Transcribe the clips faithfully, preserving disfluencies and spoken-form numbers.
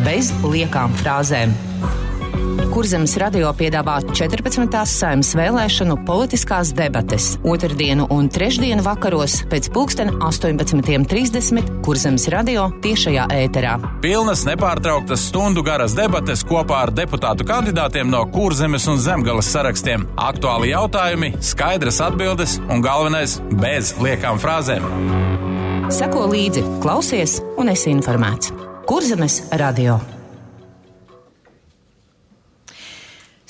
bez liekām frāzēm. Kurzemes radio piedāvā četrpadsmitās Saeimas vēlēšanu politiskās debates otrdienu un trešdienu vakaros pēc pulksten astoņpadsmit trīsdesmit Kurzemes radio tiešajā ēterā. Pilnas nepārtrauktas stundu garas debates kopā ar deputātu kandidātiem no Kurzemes un Zemgales sarakstiem. Aktuāli jautājumi, skaidras atbildes un galvenais bez liekām frāzēm. Seko līdzi, klausies un esi informēts. Kurzemes radio.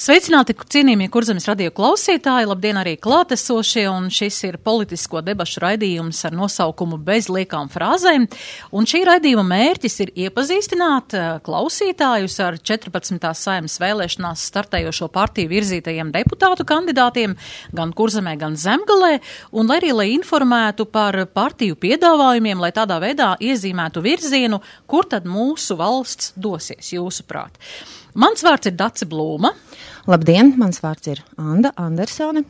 Sveicināti, cienījamie Kurzemes radio klausītāji, labdien arī klātesošie, un šis ir politisko debašu raidījums ar nosaukumu bez liekām frāzēm, un šī raidījuma mērķis ir iepazīstināt klausītājus ar četrpadsmitās Saeimas vēlēšanās startējošo partiju virzītajiem deputātu kandidātiem gan Kurzemē, gan Zemgalē, un lai arī lai informētu par partiju piedāvājumiem, lai tādā veidā iezīmētu virzienu, kur tad mūsu valsts dosies, jūsuprāt. Mans vārds ir Dace Blūma. Labdien, mans vārds ir Anda Andersone.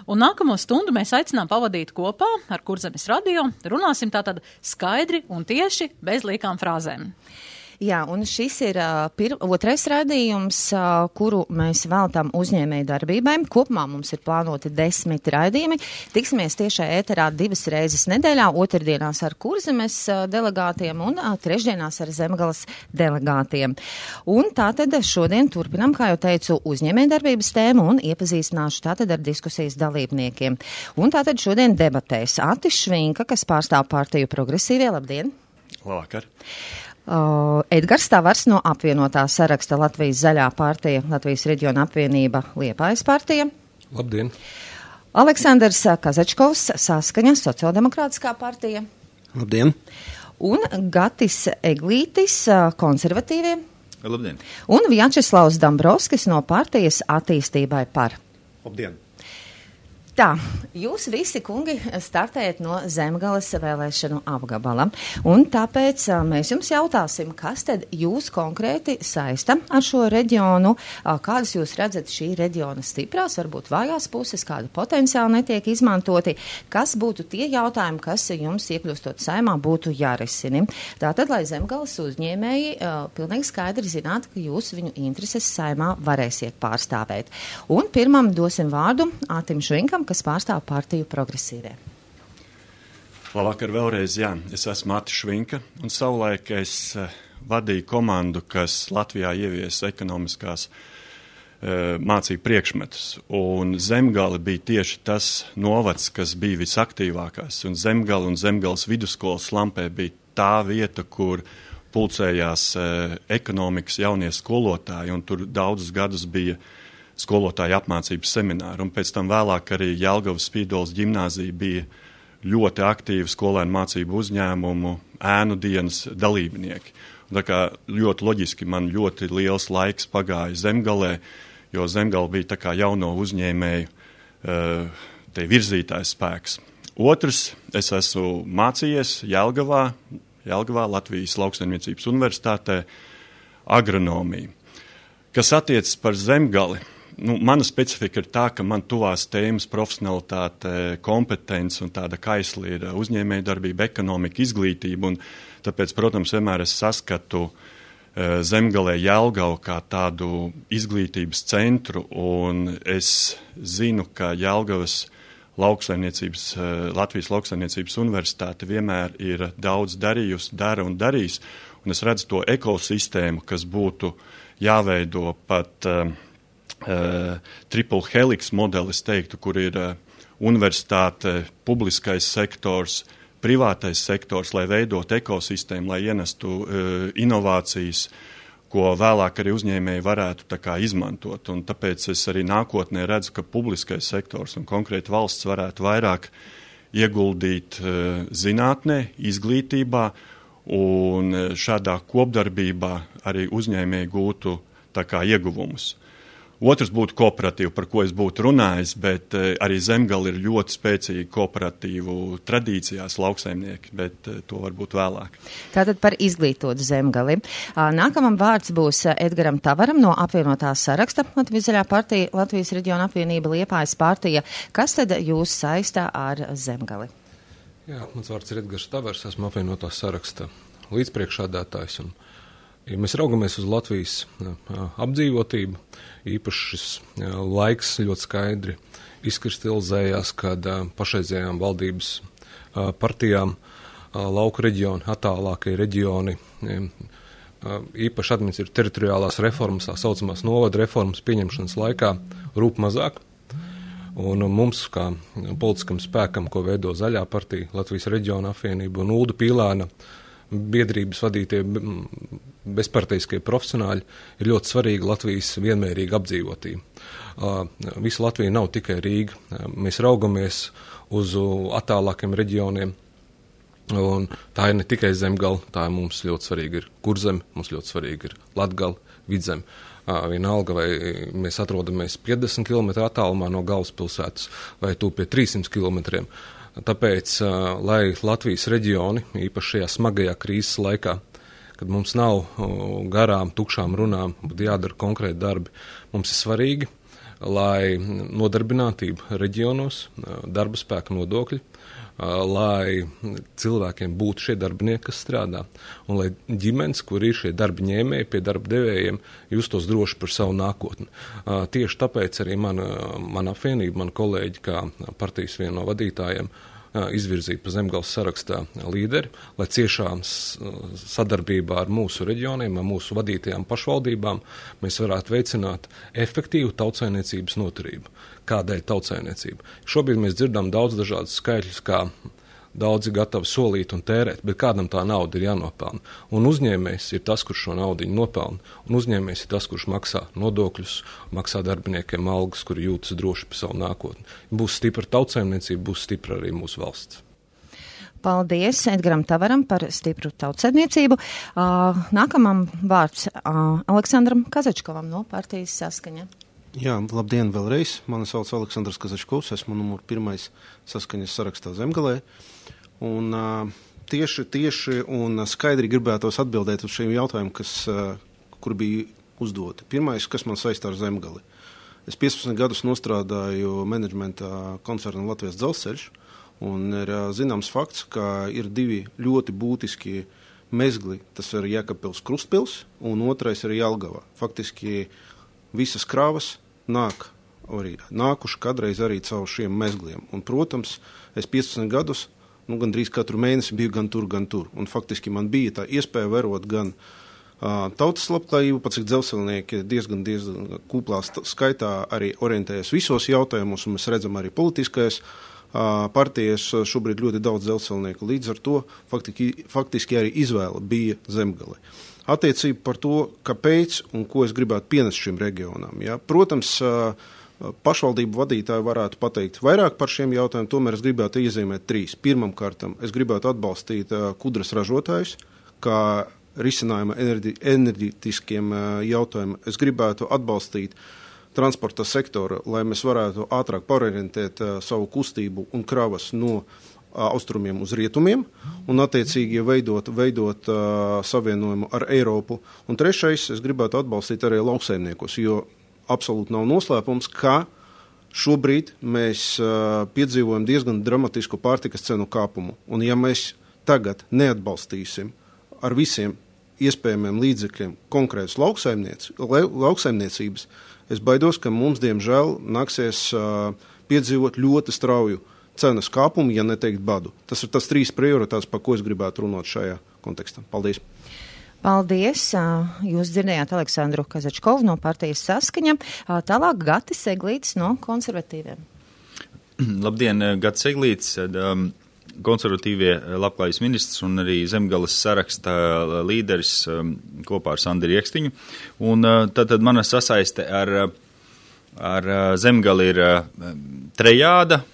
Un nākamo stundu mēs aicinām pavadīt kopā ar Kurzemes radio. Runāsim tātad skaidri un tieši bez liekām frāzēm. Jā, un šis ir uh, pir, otrais raidījums, uh, kuru mēs veltam uzņēmēju darbībai. Kopumā mums ir plānoti desmit raidījumi. Tiksimies tiešā ēterā divas reizes nedēļā, otrdienās ar Kurzemes uh, delegātiem un uh, trešdienās ar Zemgales delegātiem. Un tātad šodien turpinam, kā jau teicu, uzņēmēju darbības tēmu un iepazīstināšu tātad ar diskusijas dalībniekiem. Un tātad šodien debatēs Atis Švinka, kas pārstāv partiju Progresīvie. Labdien! Labvakar! Uh, Edgars Tavars no apvienotā saraksta Latvijas zaļā partija, Latvijas reģiona apvienība Liepājas partija. Labdien! Aleksandrs Kazačkovs, Saskaņa, Sociāldemokrātiskā partija. Labdien! Un Gatis Eglītis, Konservatīvie. Labdien! Un Vjačeslavs Dambrovskis no partijas Attīstībai par. Labdien! Tā, jūs visi, kungi, startējat no Zemgales vēlēšanu apgabala, un tāpēc mēs jums jautāsim, kas tad jūs konkrēti saista ar šo reģionu, kādas jūs redzat šī reģiona stiprās, varbūt vājās puses, kāda potenciāli netiek izmantoti, kas būtu tie jautājumi, kas jums iekļūstot Saeimā būtu jārisini. Tātad, lai Zemgales uzņēmēji pilnīgi skaidri zinātu, ka jūs viņu intereses Saeimā varēsiet pārstāvēt. Un pirmam dosim vārdu Atim Švinkam, kas pārstāv partiju Progresīvie. Labvakar vēlreiz, jā. Es esmu Atis Švinka, un savulaik es uh, vadīju komandu, kas Latvijā ievies ekonomiskās uh, mācību priekšmetus. Un Zemgale bija tieši tas novads, kas bija visaktīvākās. Un Zemgale un Zemgales vidusskolas Lampē bija tā vieta, kur pulcējās uh, ekonomikas jaunie skolotāji, un tur daudzus gadus bija skolotāju apmācības semināru, un pēc tam vēlāk arī Jelgavas Spīdoles ģimnāzija bija ļoti aktīva skolēnu mācību uzņēmumu, ēnu dienas dalībnieki. Un tā kā ļoti loģiski man ļoti liels laiks pagāja Zemgalē, jo Zemgale bija tā kā jauno uzņēmēju te virzītājs spēks. Otrs, es esmu mācījies Jelgavā, Jelgavā Latvijas Lauksaimniecības universitātē agronomiju. Kas attiecas par Zemgali, nu, mana specifika ir tā, ka man tuvās tēmas profesionalitāte, kompetence un tāda kaisli ir uzņēmēja darbība, ekonomika, izglītība, un tāpēc, protams, vienmēr es saskatu uh, Zemgalē Jelgavu kā tādu izglītības centru, un es zinu, ka Jelgavas lauksaimniecības, uh, Latvijas Lauksaimniecības universitāte vienmēr ir daudz darījusi, dara un darīs, un es redzu to ekosistēmu, kas būtu jāveido pat uh, Uh, triple helix modelis, teiktu, kur ir uh, universitāte, publiskais sektors, privātais sektors, lai veidot ekosistēmu, lai ienestu uh, inovācijas, ko vēlāk arī uzņēmēji varētu tā kā izmantot. Un tāpēc es arī nākotnē redzu, ka publiskais sektors un konkrēti valsts varētu vairāk ieguldīt uh, zinātnē, izglītībā, un šādā kopdarbībā arī uzņēmēji gūtu tā kā ieguvumus. Otrs būtu kooperatīva, par ko es būtu runājis, bet uh, arī Zemgale ir ļoti spēcīga kooperatīvu tradīcijās lauksaimnieki, bet uh, to varbūt vēlāk. Tātad par izglītotu Zemgali. Uh, nākamam vārds būs Edgaram Tavaram no apvienotās saraksta Latvijas zaļā partija, Latvijas reģiona apvienība Liepājas partija. Kas tad jūs saistā ar Zemgali? Jā, mans vārds ir Edgars Tavars, esmu apvienotās saraksta līdzpriekšādātājs un Ja mēs raugamies uz Latvijas apdzīvotību, īpaši šis laiks ļoti skaidri izkristalizējās, kad pašreizējām valdības partijām lauku reģioni, attālākie reģioni, īpaši administratīvas teritoriālās reformas, tā saucamās novada reformas pieņemšanas laikā rūp mazāk. Un mums, kā politiskam spēkam, ko veido Zaļā partija, Latvijas reģiona apvienība un Ulda Pīlēna biedrības vadītie bezparteiskie profesionāļi, ir ļoti svarīga Latvijas vienmērīga apdzīvotība. Visa Latvija nav tikai Rīga. Mēs raugamies uz attālākiem reģioniem, un tā ir ne tikai Zemgala, tā ir mums ļoti svarīga ir Kurzeme, mums ļoti svarīga ir Latgala, Vidzeme. Vienalga, vai mēs atrodamies piecdesmit kilometru attālumā no galvaspilsētas, vai tu pie trīssimt kilometriem. Tāpēc, lai Latvijas reģioni, īpaši šajā smagajā krīzes laikā, kad mums nav garām, tukšām runām, bet jādara konkrēti darbi, mums ir svarīgi, lai nodarbinātība reģionos, darba spēka nodokļi, lai cilvēkiem būtu šie darbinieki, kas strādā, un lai ģimenes, kur ir šie darba ņēmēji pie darba devējiem, justos droši par savu nākotni. Tieši tāpēc arī mana, mana apvienība, man kolēģi, kā partijas viena no vadītājiem, izvirzīt pa Zemgales sarakstā līderi, lai ciešām sadarbībā ar mūsu reģioniem, ar mūsu vadītajām pašvaldībām mēs varētu veicināt efektīvu tautsaimniecības noturību. Kādēļ tautsaimniecība? Šobrīd mēs dzirdam daudz dažādus skaitļus, kā daudzi gatavi solīt un tērēt, bet kādam tā nauda ir jānopelna. Un uzņēmējs ir tas, kurš šo naudu nopelna, un uzņēmējs ir tas, kurš maksā nodokļus, maksā darbiniekiem algas, kuri jūtas droši par savu nākotni. Būs stipra tautsaimniecība, būs stipra arī mūsu valsts. Paldies Edgaram Tavaram par stipru tautsaimniecību. Uh, nākamam vārds uh, Aleksandram Kazačkovam no partijas Saskaņa. Jā, labdien vēlreiz. Mani sauc Aleksandrs Kazačkovs, esmu numur pirmais Saskaņas sarakstā Zemgalē. Un uh, tieši, tieši un skaidri gribētos atbildēt uz šiem jautājumiem, kas, uh, kur bija uzdoti. Pirmais, kas man saistā ar Zemgali. Es piecpadsmit gadus nostrādāju menedžmentā koncernā Latvijas dzelzceļš, un ir uh, zināms fakts, ka ir divi ļoti būtiski mezgli. Tas ir Jēkabpils Krustpils, un otrais ir Jelgava. Faktiski visas krāvas nāk, arī nākuši kādreiz arī caur šiem mezgliem. Un, protams, es piecpadsmit gadus, nu, gandrīz katru mēnesi biju gan tur, gan tur. Un faktiski man bija tā iespēja vērot gan uh, tautas labklājību, pats cik dzelzceļnieki diezgan, diezgan kūplā skaitā arī orientējas visos jautājumos, un mēs redzam arī politiskais uh, partijas šobrīd ļoti daudz dzelzceļnieku. Līdz ar to faktiski, faktiski arī izvēle bija Zemgale. Attiecība par to, kāpēc un ko es gribētu pienest šim reģionam. Ja? Protams, pašvaldību vadītāji varētu pateikt vairāk par šiem jautājumiem, tomēr es gribētu iezīmēt trīs. Pirmam kārtam, es gribētu atbalstīt kudras ražotājus, kā risinājuma enerģi, enerģiskiem jautājumiem. Es gribētu atbalstīt transporta sektoru, lai mēs varētu ātrāk pārorientēt savu kustību un kravas no austrumiem uz rietumiem un attiecīgi veidot, veidot uh, savienojumu ar Eiropu. Un trešais, es gribētu atbalstīt arī lauksaimniekus, jo absolūti nav noslēpums, ka šobrīd mēs uh, piedzīvojam diezgan dramatisku pārtikas cenu kāpumu. Un ja mēs tagad neatbalstīsim ar visiem iespējamiem līdzekļiem konkrētas lauksaimniecības, es baidos, ka mums, diemžēl, nāksies uh, piedzīvot ļoti strauju cenas kāpumu, ja neteikt badu. Tas ir tas trīs prioritātes, par ko es gribētu runāt šajā kontekstā. Paldies! Paldies! Jūs dzirdējāt Aleksandru Kazačkovu no partijas Saskaņa. Tālāk Gatis Eglītis no konservatīviem. Labdien, Gatis Eglītis, um, konservatīvie labklājības ministrs un arī Zemgales saraksta līderis um, kopā ar Sandri Iekstiņu. Un uh, tad, tad mana sasaiste ar, ar Zemgali ir uh, trejāda.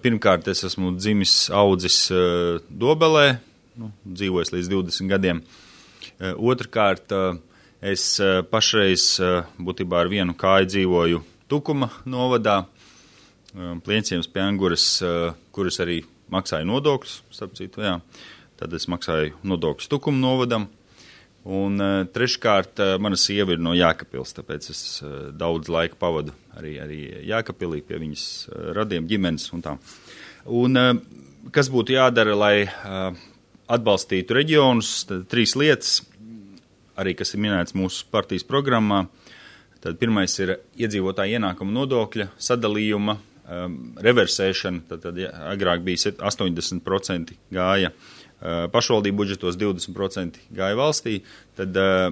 Pirmkārt, es esmu dzimis audzis uh, Dobelē, nu, dzīvojis līdz divdesmit gadiem. Uh, Otrkārt, uh, es uh, pašreiz uh, būtībā ar vienu kāju dzīvoju Tukuma novadā, uh, Plienciems pie Anguras, uh, kuras arī maksāju nodokļus, starp citu, jā. Tad es maksāju nodokļus Tukuma novadam. Un uh, treškārt, uh, mana sieva ir no Jēkabpils, tāpēc es uh, daudz laika pavadu arī, arī Jēkabpilī pie viņas uh, radiem ģimenes un tā. Un uh, kas būtu jādara, lai uh, atbalstītu reģionus? Tad trīs lietas. arī kas ir minēts mūsu partijas programmā. Tad pirmais ir iedzīvotāja ienākuma nodokļa sadalījuma um, reversēšana. Tad, tad ja, agrāk bija astoņdesmit procenti gāja uh, pašvaldību budžetos, divdesmit procenti gāja valstī. Tad uh,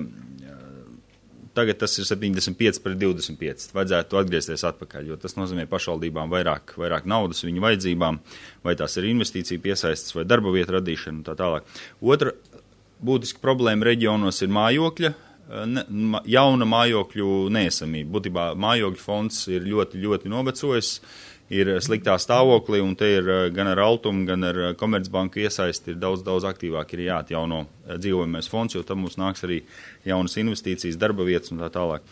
tagad tas ir septiņdesmit pieci pret divdesmit pieci. Vajadzētu atgriezties atpakaļ, jo tas nozīmē pašvaldībām vairāk, vairāk naudas viņu vajadzībām, vai tās ir investīcija piesaistas vai darba vietu radīšana un tā tālāk. Otra būtiska problēma reģionos ir mājokļa, ne, ma, jauna mājokļu neesamība. Būtībā mājokļu fonds ir ļoti, ļoti novecojis, ir sliktā stāvoklī, un te ir gan ar Altumu, gan ar Komercbanku iesaisti ir daudz, daudz aktīvāk ir jāatjauno dzīvojamais fonds, jo tam mums nāks arī jaunas investīcijas, darba vietas un tā tālāk.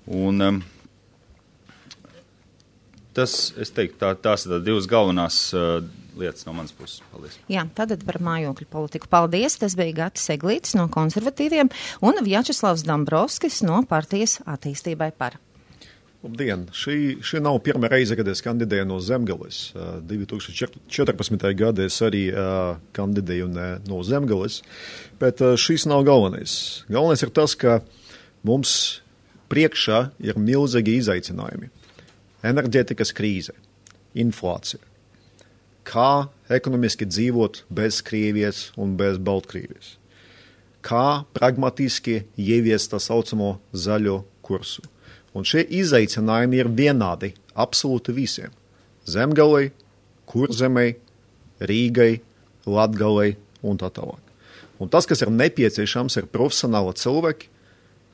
Un um, tas, es teiktu, tā, tās ir divas galvenās uh, lietas no manas puses. Paldies. Jā, tātad par mājokļu politiku. Paldies, tas bija Gatis Eglītis no konservatīviem un Vjačeslavs Dombrovskis no partijas attīstībai par. Labdien! Šī, šī nav pirmā reize, kad es kandidēju no Zemgales. Uh, divi tūkstoši četrpadsmitajā gadā es arī uh, kandidēju ne, no Zemgales, bet uh, šis nav galvenais. Galvenais ir tas, ka mums priekšā ir milzīgi izaicinājumi. Enerģētikas krīze, inflācija. Kā ekonomiski dzīvot bez Krievijas un bez Baltkrievijas? Kā pragmatiski ieviest tā saucamo zaļo kursu? Un šie izaicinājumi ir vienādi absolūti visiem. Zemgalei, Kurzemei, Rīgai, Latgalei un tā tālāk. Un tas, kas ir nepieciešams, ir profesionāli cilvēki,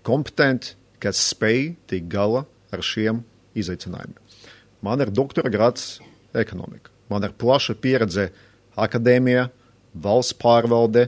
kompetenti, kas spēj tikt galā ar šiem izaicinājumiem. Man ir doktora grāds ekonomika. Man ir plaša pieredze akadēmijā, valsts pārvalde.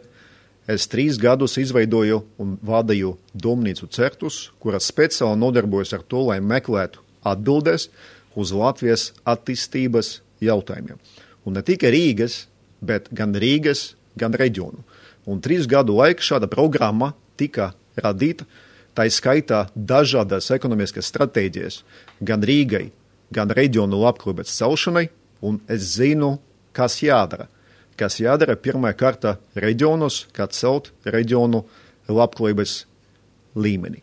Es trīs gadus izveidoju un vadīju domnīcu Certus, kuras speciāli nodarbojas ar to, lai meklētu atbildes uz Latvijas attīstības jautājumiem. Un ne tikai Rīgas, bet gan Rīgas, gan reģionu. Un trīs gadu laikā šāda programma tika radīta, tā skaitā dažādas ekonomiskas stratēģijas gan Rīgai, gan reģionu labklājības celšanai, un es zinu, kas jādara. Kas jādara pirmā kārta reģionos, kā celt reģionu labklājības līmeni.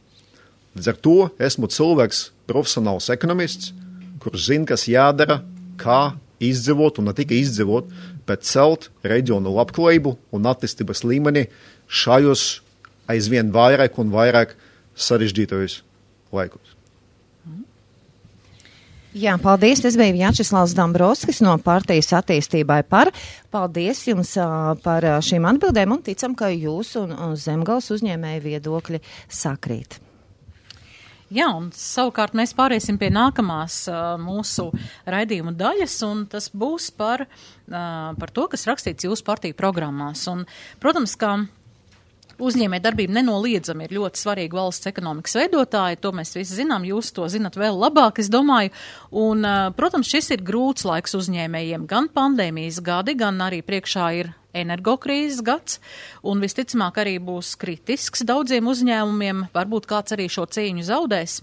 Līdz ar to esmu cilvēks, profesionāls ekonomists, kurš zina, kas jādara, kā izdzīvot un ne tikai izdzīvot, bet celt reģionu labklājību un attīstības līmeni šajos aizvien vairāk un vairāk sarežģītajos laikos. Jā, paldies. Tas bija Vjačeslavs Dombrovskis no partijas attīstībai par. Paldies jums uh, par šīm atbildēm un ticam, ka jūs un, un Zemgales uzņēmēju viedokļi sakrīt. Jā, un savukārt mēs pāriesim pie nākamās uh, mūsu raidījuma daļas, un tas būs par, uh, par to, kas rakstīts jūsu partiju programmās. Un, protams, ka uzņēmē darbība nenoliedzami ir ļoti svarīga valsts ekonomikas veidotāja, to mēs visi zinām, jūs to zinat vēl labāk, es domāju, un, protams, šis ir grūts laiks uzņēmējiem, gan pandēmijas gadi, gan arī priekšā ir energokrīzes gads, un visticamāk arī būs kritisks daudziem uzņēmumiem, varbūt kāds arī šo cīņu zaudēs.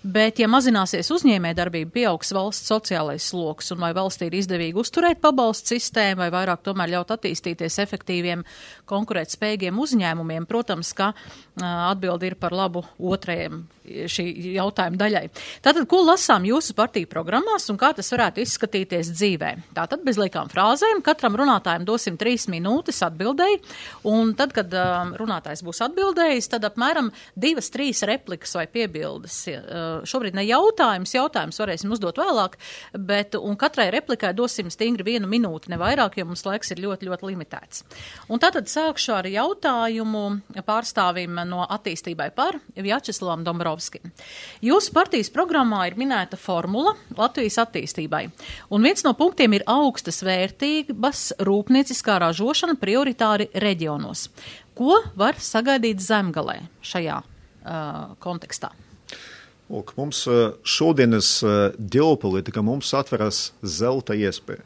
Bet, ja mazināsies uzņēmē darbība, pieaugs valsts sociālais sloks, un vai valstī ir izdevīgi uzturēt pabalstu sistēmu, vai vairāk tomēr ļaut attīstīties efektīviem, konkurētspējīgiem uzņēmumiem, protams, ka uh, atbildi ir par labu otrajam šī jautājuma daļai. Tātad, ko lasām jūsu partiju programmās un kā tas varētu izskatīties dzīvē? Tātad, bez liekām frāzēm, katram runātājam dosim trīs minūtes atbildēji, un tad, kad uh, runātājs būs atbildējis, tad apmēram divas, trīs replikas vai piebildes. Uh, Šobrīd ne jautājums, jautājums varēsim uzdot vēlāk, bet un katrai replikai dosim stingri vienu minūti, ne vairāk, jo mums laiks ir ļoti, ļoti limitēts. Un tātad sākšu ar jautājumu pārstāvim no attīstībai par Vjačeslavam Dombrovskim. Jūsu partijas programmā ir minēta formula Latvijas attīstībai, un viens no punktiem ir augstas vērtības rūpnieciskā ražošana prioritāri reģionos. Ko var sagaidīt Zemgalē šajā uh, kontekstā? Lūk, mums šodienas ģeopolitika mums atveras zelta iespēja.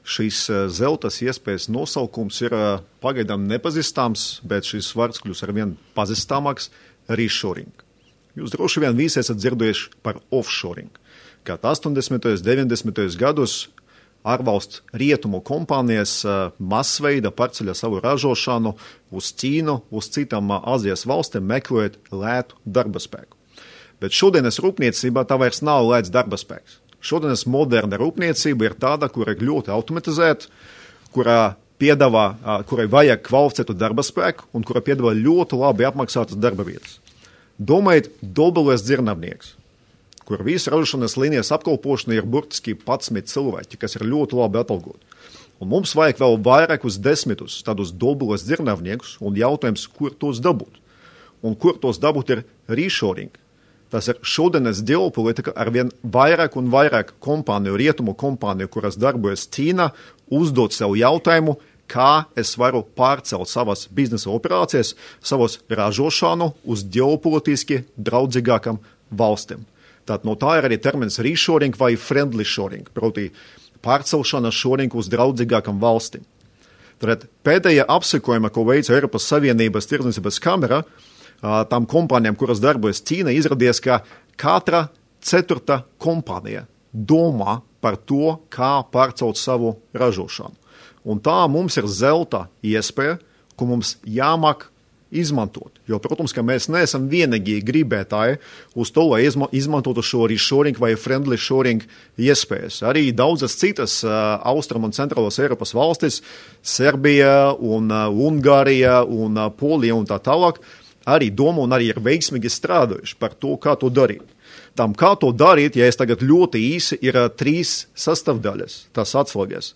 Šīs zeltas iespējas nosaukums ir pagaidām nepazīstams, bet šis vārds kļūs arvien pazīstamāks - reshoring. Jūs droši vien visi esat dzirdējuši par offshoring. Kad astoņdesmitajos, deviņdesmitajos gados ārvalstu rietumu kompānijas masveida pārceļ savu ražošanu uz Ķīnu, uz citām Azijas valstīm, meklējot lētu darba spēku. Bet šodienas rūpniecībā tā vairs nav lēts darba spēks. Šodienas moderna rūpniecība ir tāda, kura ir ļoti automatizēta, kurā piedāvā, kurai vajag kvalificētu darba spēku un kura piedāvā ļoti labi apmaksātas darba vietas. Domājiet, dobelēs dzirnavnieks, kur visa ražošanas līnijas apkalpošana ir burtiski padsmit cilvēki, kas ir ļoti labi atalgoti. Un mums vajag vēl vairākus desmitus tādus dobelēs dzirnavniekus un jautājums, kur tos dabūt. Un kur tos dabūt ir reshoring. Tas ir šodienas ģeopolitika ar vien vairāk un vairāk kompāniju, rietumu kompāniju, kuras darbojas Ķīnā, uzdot sev jautājumu, kā es varu pārcelt savas biznesa operācijas, savas ražošanu uz ģeopolitiski draudzīgākam valstīm. Tātad no tā ir arī termins reshoring vai friendly shoring, proti pārcelšana shoring uz draudzīgākam valstīm. Tad pēdējā apsekojuma, ko veica Eiropas Savienības tirdzniecības kamera, tām kompānijām, kuras darbojas Ķīna, izradies, ka katra ceturta kompānija domā par to, kā pārcelt savu ražošanu. Un tā mums ir zelta iespēja, ko mums jāmāk izmantot. Jo, protams, ka mēs neesam vienīgi gribētāji uz to, lai izmantotu šo reshoring vai friendly shoring iespējas. Arī daudzas citas uh, Austrum un Centrālās Eiropas valstis, Serbija un uh, Ungārija un uh, Polija un tā tālāk, arī domā un arī ir veiksmīgi strādājuši par to, kā to darīt. Tam, kā to darīt, ja es tagad ļoti īsi, ir uh, trīs sastāvdaļas, tas atslēgas.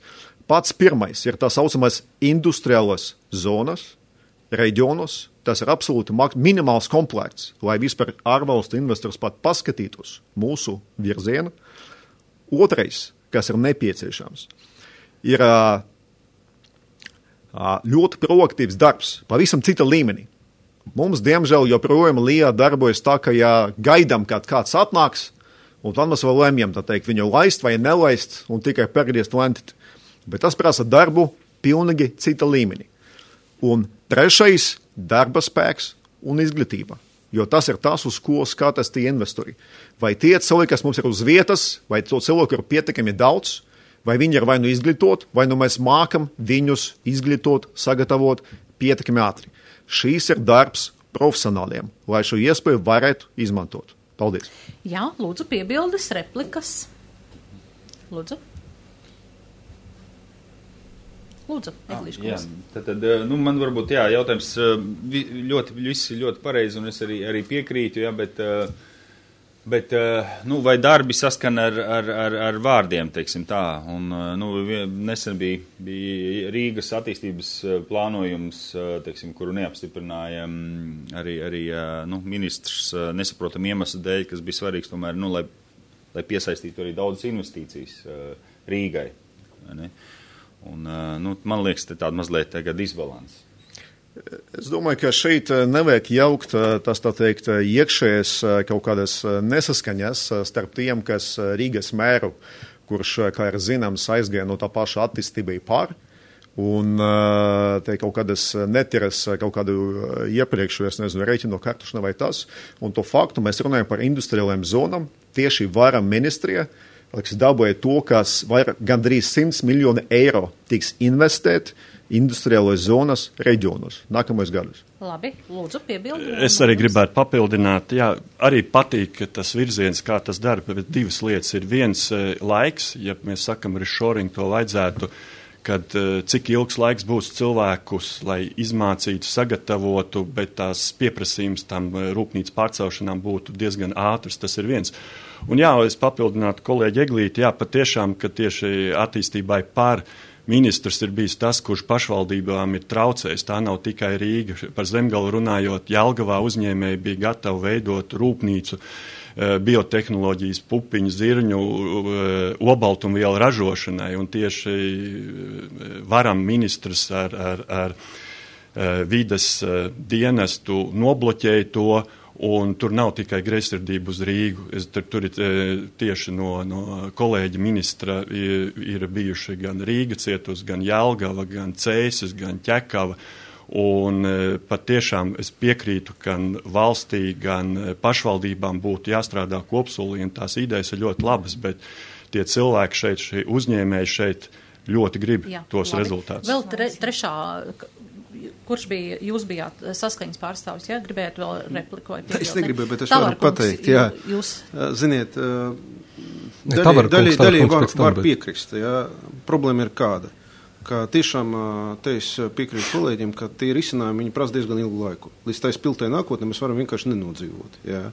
Pats pirmais ir tā saucamais industriālās zonas, reģionos, tas ir absolūti minimāls komplekts, lai vispār ārvalstu investors pat paskatītos mūsu virzienu. Otrais, kas ir nepieciešams, ir ļoti proaktīvs darbs, pavisam cita līmenī. Mums, diemžēl, joprojām Lijā darbojas tā, ka ja gaidām, kad kāds atnāks, un tad mēs vēl lemjam, tā teikt, viņu laist vai nelaist, un tikai pergriezt lentīt. Bet tas prasa darbu pilnīgi cita līmenī. Un trešais – darba spēks un izglītība, jo tas ir tas, uz ko skatās tie investori. Vai tie cilvēki, kas mums ir uz vietas, vai to cilvēku ir pietiekami daudz, vai viņi ir vai nu izglītot, vai nu mēs mākam viņus izglītot, sagatavot pietiekami ātri. Šīs ir darbs profesionāliem, lai šo iespēju varētu izmantot. Paldies. Jā, lūdzu piebildes, replikas. Lūdzu. Lūdzu, Eglīša kungs. Tad, tad, nu, man varbūt, jā, jautājums ļoti, visi ļoti pareizi, un es arī, arī piekrītu, jā, bet, bet, nu, vai darbi saskan ar, ar, ar, ar vārdiem, teiksim tā, un, nu, nesen bija, bija Rīgas attīstības plānojums, teiksim, kuru neapstiprināja arī, arī, nu, ministrs nesaprotam iemeslu dēļ, kas bija svarīgs, tomēr, nu, lai, lai piesaistītu arī daudzas investīcijas Rīgai, vai ne? Un, nu, man liekas, te tāda mazliet tagad disbalans. Es domāju, ka šeit nevajag jaukt tas, tā teikt, iekšējas kaut kādas nesaskaņas starp tiem, kas Rīgas mēru, kurš, kā ir zināms, aizgāja no tā paša attīstībai pār, un te kaut kādas netiras kaut kādu iepriekšu, es nezinu, reiķinu kartušana vai tas, un to faktu mēs runājam par industriālajām zonām, tieši varam ministrija, kas dabūja to, kas vairāk gandrīz simts miljoni eiro tiks investēt industriālais zonas reģionos nākamais gadus. Labi, lūdzu, piebildi. Es arī gribētu papildināt, jā, arī patīk tas virziens, kā tas dara, bet divas lietas ir viens laiks, ja mēs sakam reshoring, to vajadzētu, kad cik ilgs laiks būs cilvēkus, lai izmācītu, sagatavotu, bet tās pieprasījums tam rūpnīcas pārcelšanām būtu diezgan ātrs, tas ir viens. Un jā, es papildinātu kolēģi Eglīti, jā, patiešām, ka tieši attīstībai pār ministrs ir bijis tas, kurš pašvaldībām ir traucējis. Tā nav tikai Rīga. Par Zemgalu runājot, Jelgavā uzņēmēji bija gatavi veidot rūpnīcu, biotehnoloģijas, pupiņu, zirņu, obaltumvielu ražošanai. Un tieši varam ministrs ar, ar, ar vides dienestu nobloķēja to, un tur nav tikai greizsirdība uz Rīgu. Es, tur, tur ir tieši no, no kolēģa ministra ir, ir bijuši gan Rīga cietus, gan Jelgava, gan Cēsis, gan Ķekava. Un pat tiešām es piekrītu, gan valstī, gan pašvaldībām būtu jāstrādā kopsolī, un tās idejas ir ļoti labas, bet tie cilvēki šeit, šie uzņēmēji šeit ļoti grib Jā, tos labi. rezultātus. Vēl tre, trešā, kurš bija, jūs bijāt saskaņas pārstāvis, jā, gribējāt vēl replikot? Es negribēju, bet es varu pateikt, jā. Jūs... Ziniet, Ne, daļai, daļai, daļai var, tam, var bet... piekrist, jā. Problēma ir kāda, ka tiešām te es piekrītu kolēģiem, ka tie risinājumi, viņi prasa diezgan ilgu laiku. Līdz tā spiltai nākotnē mēs varam vienkārši nenodzīvot, jā.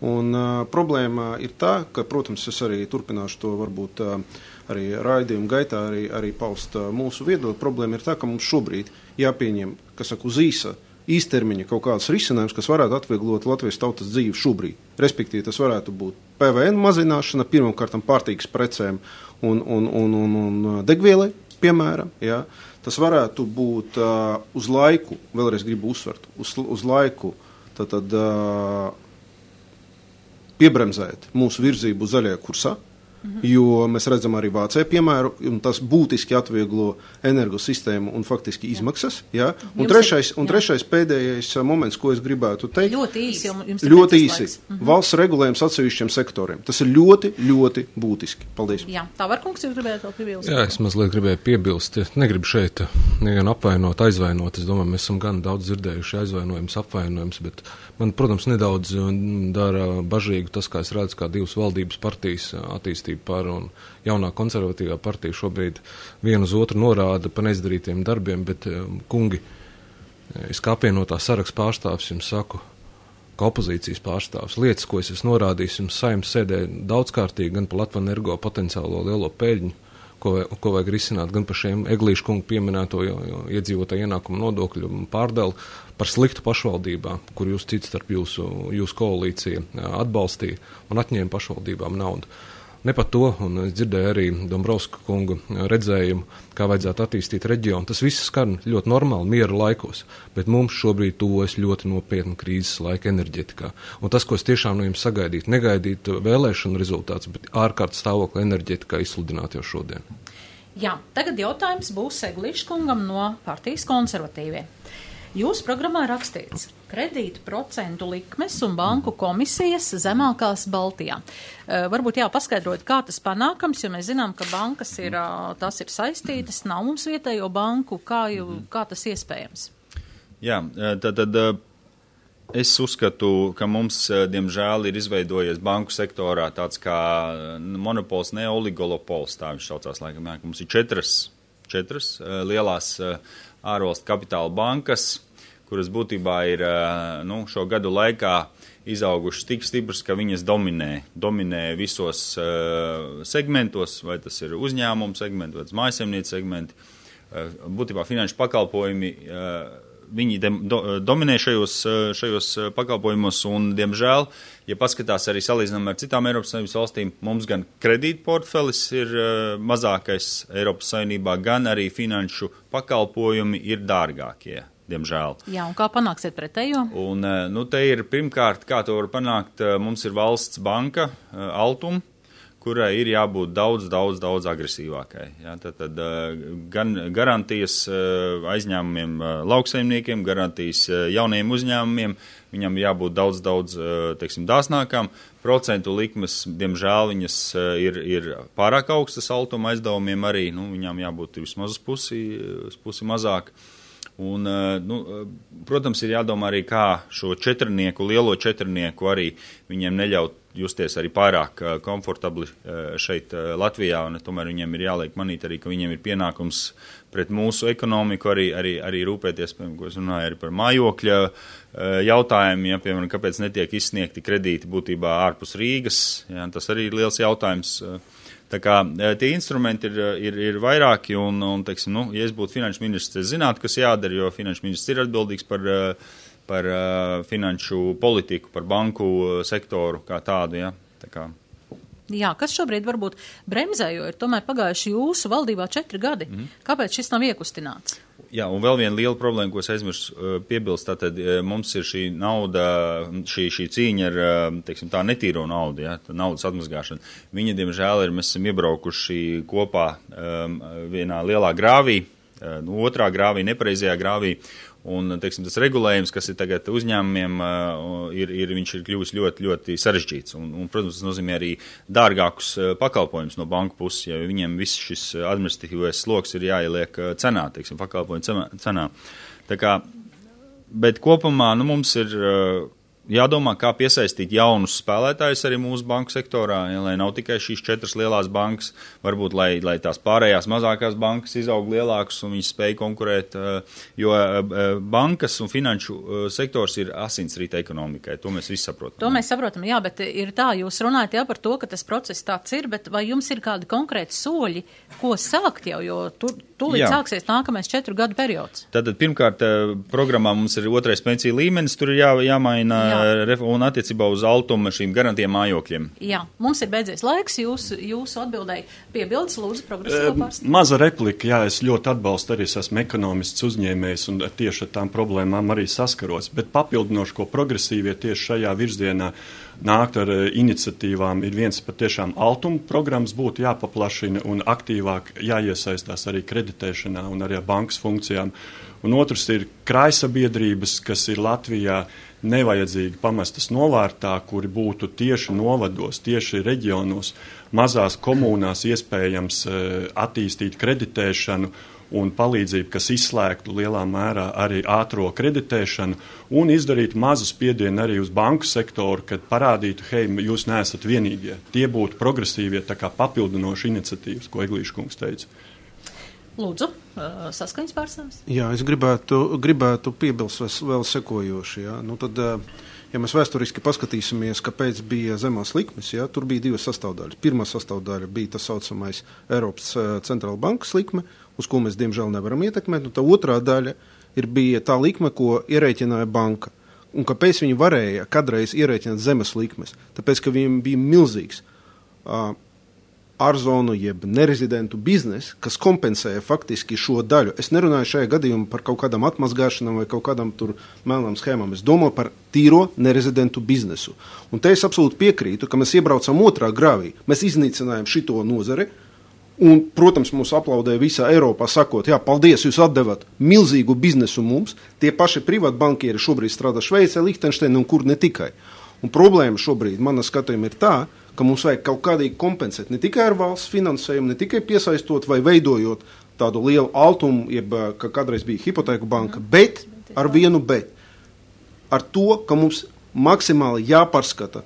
Un uh, problēma ir tā, ka, protams, es arī turpināšu to varbūt uh, arī raidījumu gaitā arī, arī paust uh, mūsu viedokli. Problēma ir tā, ka mums šobrīd jāpieņem, kas saka, uz īsa, īstermiņa kaut kāds risinājums, kas varētu atvieglot Latvijas tautas dzīvi šobrīd. Respektīvi, tas varētu būt P V N mazināšana, pirmkārtam pārtīgas precēm un, un, un, un, un degvielai, piemēram, jā. Tas varētu būt uh, uz laiku, vēlreiz gribu uzsvert, uz, uz laiku, tad, tad uh, piebremzēt mūsu virzību zaļajā kursā, mm-hmm. jo mēs redzam arī Vācijā piemēru, un tas būtiski atvieglo energosistēmu un faktiski izmaksas. Jā. Un, trešais, un trešais pēdējais moments, ko es gribētu teikt. Ļoti īsi. Jums ļoti īsi. Mm-hmm. Valsts regulējums atsevišķiem sektoriem. Tas ir ļoti, ļoti būtiski. Paldies. Jā, tā var, kungs, jūs gribētu vēl piebilst? Jā, es mazliet gribēju piebilst. Negribu šeit nevienu apvainot, aizvainot. Es domāju, mēs esam gan daudz dzirdējuši aizvainojums, apvainojums, bet man, protams, nedaudz dara bažīgu tas, kā es redzu, kā divas valdības partijas attīstība par un jaunā konservatīvā partija šobrīd vienu uz otru norāda par neizdarītiem darbiem, bet, kungi, es kā apvienotā saraksta pārstāvs jums saku, kā opozīcijas pārstāvs, lietas, ko es esmu norādījis, jums Saeimas sēdē daudzkārtīgi gan par Latvenergo potenciālo lielo peļņu, ko, ko vajag risināt, gan par šiem Eglīšu kungu pieminēto iedzīvotāju ienākumu nodokļu pārdali, par sliktu pašvaldībām, kur jūs cits starp jūsu, jūsu koalīcija atbalstīja un atņēma pašvaldībām naudu. Ne par to, un es dzirdēju arī Dombrovska kungu redzējumu, kā vajadzētu attīstīt reģionu. Tas viss skan ļoti normāli, miera laikos, bet mums šobrīd tuvojas ļoti nopietna krīzes laika enerģetikā. Un tas, ko es tiešām no jums sagaidītu, negaidītu vēlēšanu rezultātus, bet ārkārtas stāvokli enerģetikā izsludināt jau šodien. Jā, tagad jautājums būs Eglīša kungam no partijas konservatīvie. Jūsu programmā rakstīts kredītu procentu likmes un banku komisijas zemākās Baltijā. Uh, varbūt jā, paskaidrot, kā tas panākams, jo mēs zinām, ka bankas ir, uh, tas ir saistītas, nav mums vietējo banku, kā, jau, kā tas iespējams? Jā, tad, tad es uzskatu, ka mums, diemžēl, ir izveidojies banku sektorā tāds kā monopols, ne oligolopols, tā viņš saucās laikam, jā, ka mums ir četras, četras lielās ārvalstu kapitāla bankas, kuras būtībā ir nu, šo gadu laikā izaugušas tik stipras, ka viņas dominē, dominē visos uh, segmentos, vai tas ir uzņēmumu segmenti, vai tas mājasemniecības segmenti. Uh, būtībā finanšu pakalpojumi, uh, viņi de, do, dominē šajos, šajos pakalpojumos un, diemžēl, ja paskatās arī salīdzinām ar citām Eiropas Savienības valstīm, mums gan kredītportfelis ir uh, mazākais Eiropas Savienībā, gan arī finanšu pakalpojumi ir dārgākie. Diemžēl. Jā, un kā panāksiet pretējo? Un, nu, te ir pirmkārt, kā to var panākt, mums ir valsts banka, Altum, kurai ir jābūt daudz, daudz, daudz agresīvākai. Jā, tad, tad gan garantijas aizņēmumiem lauksaimniekiem, garantijas jauniem uzņēmumiem, viņam jābūt daudz, daudz, teiksim, dāsnākām. Procentu likmes, diemžēl, viņas ir, ir pārāk augstas Altuma aizdevumiem arī, nu, viņām jābūt vismaz uz pusi, uz pusi mazāk. Un, nu, protams, ir jādomā arī, kā šo četrnieku, lielo četrnieku arī viņiem neļaut justies arī pārāk komfortabli šeit Latvijā, un tomēr viņiem ir jāliek manīt arī, ka viņiem ir pienākums pret mūsu ekonomiku arī, arī, arī rūpēties, piemēram, ko es runāju arī par mājokļa jautājumiem, ja, piemēram, kāpēc netiek izsniegti kredīti būtībā ārpus Rīgas, ja, tas arī ir liels jautājums. Tā kā tie instrumenti ir, ir, ir vairāki, un, un teiksim, nu, ja es būtu finanšu ministrs, es zinātu, kas jādara, jo finanšu ministrs ir atbildīgs par, par finanšu politiku, par banku sektoru kā tādu, ja, tā kā. Jā, kas šobrīd varbūt bremzē, jo ir tomēr pagājuši jūsu valdībā četri gadi. Mm. Kāpēc šis nav iekustināts? Jā, un vēl viena liela problēma, ko es aizmirsu piebilst, tātad mums ir šī nauda, šī, šī cīņa ar, teiksim, tā netīro naudu, ja, tā naudas atmazgāšana. Viņa, diemžēl, ir, mēs esam iebraukuši kopā um, vienā lielā grāvī, nu, otrā grāvī, nepareizajā grāvī, Un, teiksim, tas regulējums, kas ir tagad uzņēmumiem, ir, ir, viņš ir kļuvis ļoti, ļoti sarežģīts. Un, un, protams, tas nozīmē arī dārgākus pakalpojumus no banku puses, jo viņiem viss šis administratīvais sloks ir jāieliek cenā, teiksim, pakalpojumu cenā. Tā kā, bet kopumā, nu, mums ir jādomā, kā piesaistīt jaunus spēlētājus arī mūsu banku sektorā, ja, lai nav tikai šīs četras lielās bankas, varbūt, lai, lai tās pārējās mazākās bankas izaug lielākas un viņas spēj konkurēt, jo bankas un finanšu sektors ir asinsrīta ekonomikai, to mēs visi saprotam. To mēs saprotam, jā, bet ir tā, jūs runājat jā par to, ka tas process tāds ir, bet vai jums ir kādi konkrēti soļi, ko sākt jau, jo tur tūlīt jā. Sāksies nākamais četru gadu periods? Tātad, pirmkārt, programmā mums ir otrais pensiju līmenis, tur ir jā, jāmaina jā. Un attiecībā uz altumu šīm garantiem mājokļiem. Jā, mums ir beidzies laiks, jūs, jūsu atbildēji piebildes, lūdzu, progresīvo pārstāvju. Maza replika, jā, es ļoti atbalstu arī, es esmu ekonomists uzņēmējs un tieši ar tām problēmām arī saskaros, bet papildinoši, ko progresīvie tieši šajā virzienā nākt ar iniciatīvām, ir viens patiešām altuma programmas būtu jāpaplašina un aktīvāk jāiesaistās arī kreditēšanā un arī bankas funkcijām. Un otrs ir krājsabiedrības, kas ir Latvijā nevajadzīgi pamestas novārtā, kuri būtu tieši novados, tieši reģionos, mazās komunās iespējams attīstīt kreditēšanu un palīdzību, kas izslēgtu lielā mērā arī ātro kreditēšanu un izdarīt mazu spiedienu arī uz banku sektoru, kad parādītu, hei, jūs neesat vienīgie. Tie būtu progresīvie, tā kā papildinoši iniciatīvas, ko Eglīša kungs teica. Lūdzu, saskaņas pārstāvis. Jā, es gribētu, gribētu piebilst vēl sekojoši. Jā. Nu tad, ja mēs vēsturiski paskatīsimies, kāpēc bija zemās likmes, jā, tur bija divas sastāvdaļas. Pirmā sastāvdaļa bija tas saucamais Eiropas centrāla bankas likme, uz ko mēs diemžēl nevaram ietekmēt, un tā otrā daļa ir bija tā likme, ko ierēķināja banka. Un kāpēc viņi varēja kadreiz ierēķināt zemes likmes? Tāpēc, ka viņiem bija milzīgs uh, ārzonu jeb nerezidentu biznes, kas kompensēja faktiski šo daļu. Es nerunāju šajā gadījumā par kaut kādām atmazgāšanām vai kaut kādām tur melnām schēmām. Es domāju par tīro nerezidentu biznesu. Un te es absolūti piekrītu, ka mēs iebraucam otrā grāvī. Mēs iznīcinājām šito nozari un, protams, mūs aplaudēja visā Eiropā sakot, jā, paldies, jūs atdevat milzīgu biznesu mums. Tie paši privātbankieri šobrīd strādā Šveicē, Lihtenšteinā un kur ne tikai. Un problēma šobrīd, mana skatījuma, ir tā, ka mums vajag kaut kādīgi kompensēt ne tikai ar valsts finansējumu, ne tikai piesaistot vai veidojot tādu lielu altumu, jeb, ka kādreiz bija hipotēku banka, bet ar vienu bet. Ar to, ka mums maksimāli jāpārskata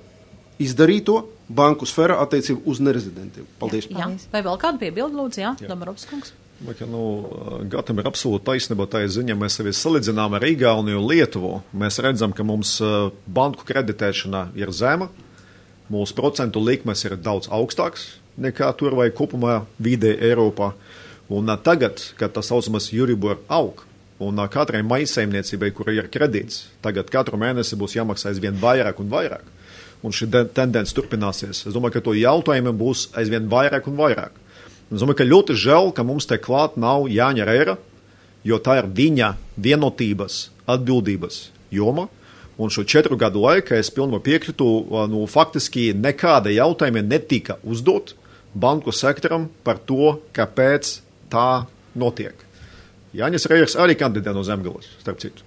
izdarīto banku sfērā attiecību uz nerezidentiem. Paldies. Jā. Vai vēl kādu piebildu, lūdzu, jā, Dombrovskis kungs? Ka, nu, Gatam ir absolūti taisnība, tā ziņa, mēs sevi salīdzinām ar Igauniju un Lietuvu. Mēs redzam, ka mums banku kreditēšana ir zema, mūsu procentu likmes ir daudz augstāks nekā tur vai kopumā vidē Eiropā. Un tagad, kad tas saucamas Euribor aug, un katrai maisaimniecībai, kura ir kredīts, tagad katru mēnesi būs jāmaksā aizvien vairāk un vairāk. Un šī tendence turpināsies. Es domāju, ka to jautājumi būs aizvien vairāk un vairāk. Es domāju, ka ļoti žēl, ka mums te klāt nav Jāņa Reira, jo tā ir viņa vienotības atbildības joma. Un šo četru gadu laikā es pilnībā piekritu, nu, faktiski nekāda jautājuma netika uzdot banku sektoram par to, kāpēc tā notiek. Jānis Reirs arī kandidē no Zemgales, starp citu.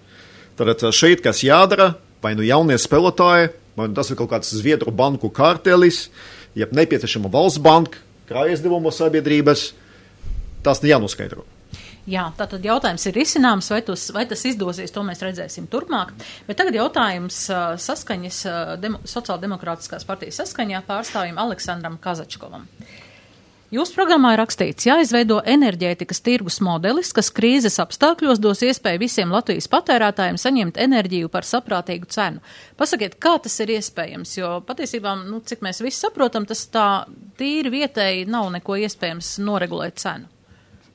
Tad šeit, kas jādara, vai nu jaunie spēlētāji, vai nu tas ir kaut kāds Zviedru banku kartelis, jeb nepieciešama valsts banka, krājaizdevuma sabiedrības, tas jānoskaidro. Jā, tātad jautājums ir risināms, vai, tos, vai tas izdosies, to mēs redzēsim turpmāk. Bet tagad jautājums saskaņas, demo, sociāldemokrātiskās partijas saskaņā pārstāvjiem Aleksandram Kazačkovam. Jūsu programmā ir rakstīts, jāizveido enerģētikas tirgus modelis, kas krīzes apstākļos dos iespēju visiem Latvijas patērētājiem saņemt enerģiju par saprātīgu cenu. Pasakiet, kā tas ir iespējams, jo patiesībā, nu, cik mēs visi saprotam, tas tā tīri vietēji nav neko iespējams noregulēt cenu.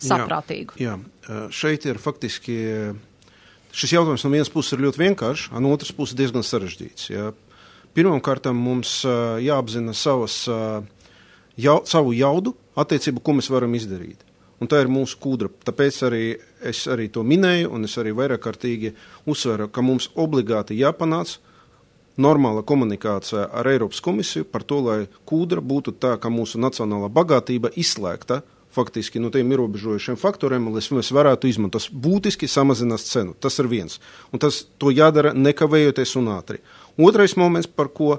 Saprātīgu. Jā, jā, šeit ir faktiski, šis jautājums no vienas puses ir ļoti vienkāršs, no otras puses diezgan sarežģīts. Jā. Pirmkārt, mums jāapzina savas, jau, savu jaudu attiecību, ko mēs varam izdarīt. Un tā ir mūsu kūdra. Tāpēc arī es arī to minēju, un es arī vairāk kārtīgi uzsveru, ka mums obligāti jāpanāc normāla komunikācija ar Eiropas komisiju par to, lai kūdra būtu tā, ka mūsu nacionālā bagātība izslēgta faktiski no tiem ierobežojušiem faktoriem, lai mēs varētu izmantot. Tas būtiski samazinās cenu. Tas ir viens. Un tas to jādara nekavējoties un ātri. Otrais moments, par ko,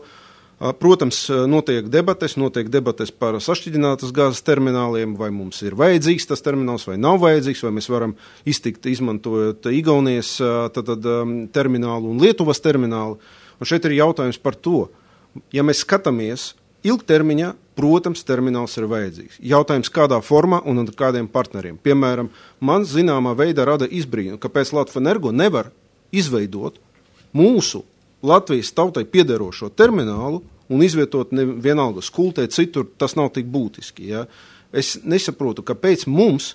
protams, notiek debates, notiek debates par sašķidrinātas gāzes termināliem, vai mums ir vajadzīgs tas termināls, vai nav vajadzīgs, vai mēs varam iztikt izmantojot Igaunijas tad, tad, terminālu un Lietuvas terminālu. Un šeit ir jautājums par to, ja mēs skatāmies ilgtermiņā, protams, termināls ir vajadzīgs. Jautājums, kādā formā un ar kādiem partneriem. Piemēram, man zināmā veidā rada izbrīnu, kāpēc Latvenergo nevar izveidot mūsu Latvijas tautai piederošo terminālu un izvietot ne, vienalga skultē, citur tas nav tik būtiski. Ja? Es nesaprotu, kāpēc mums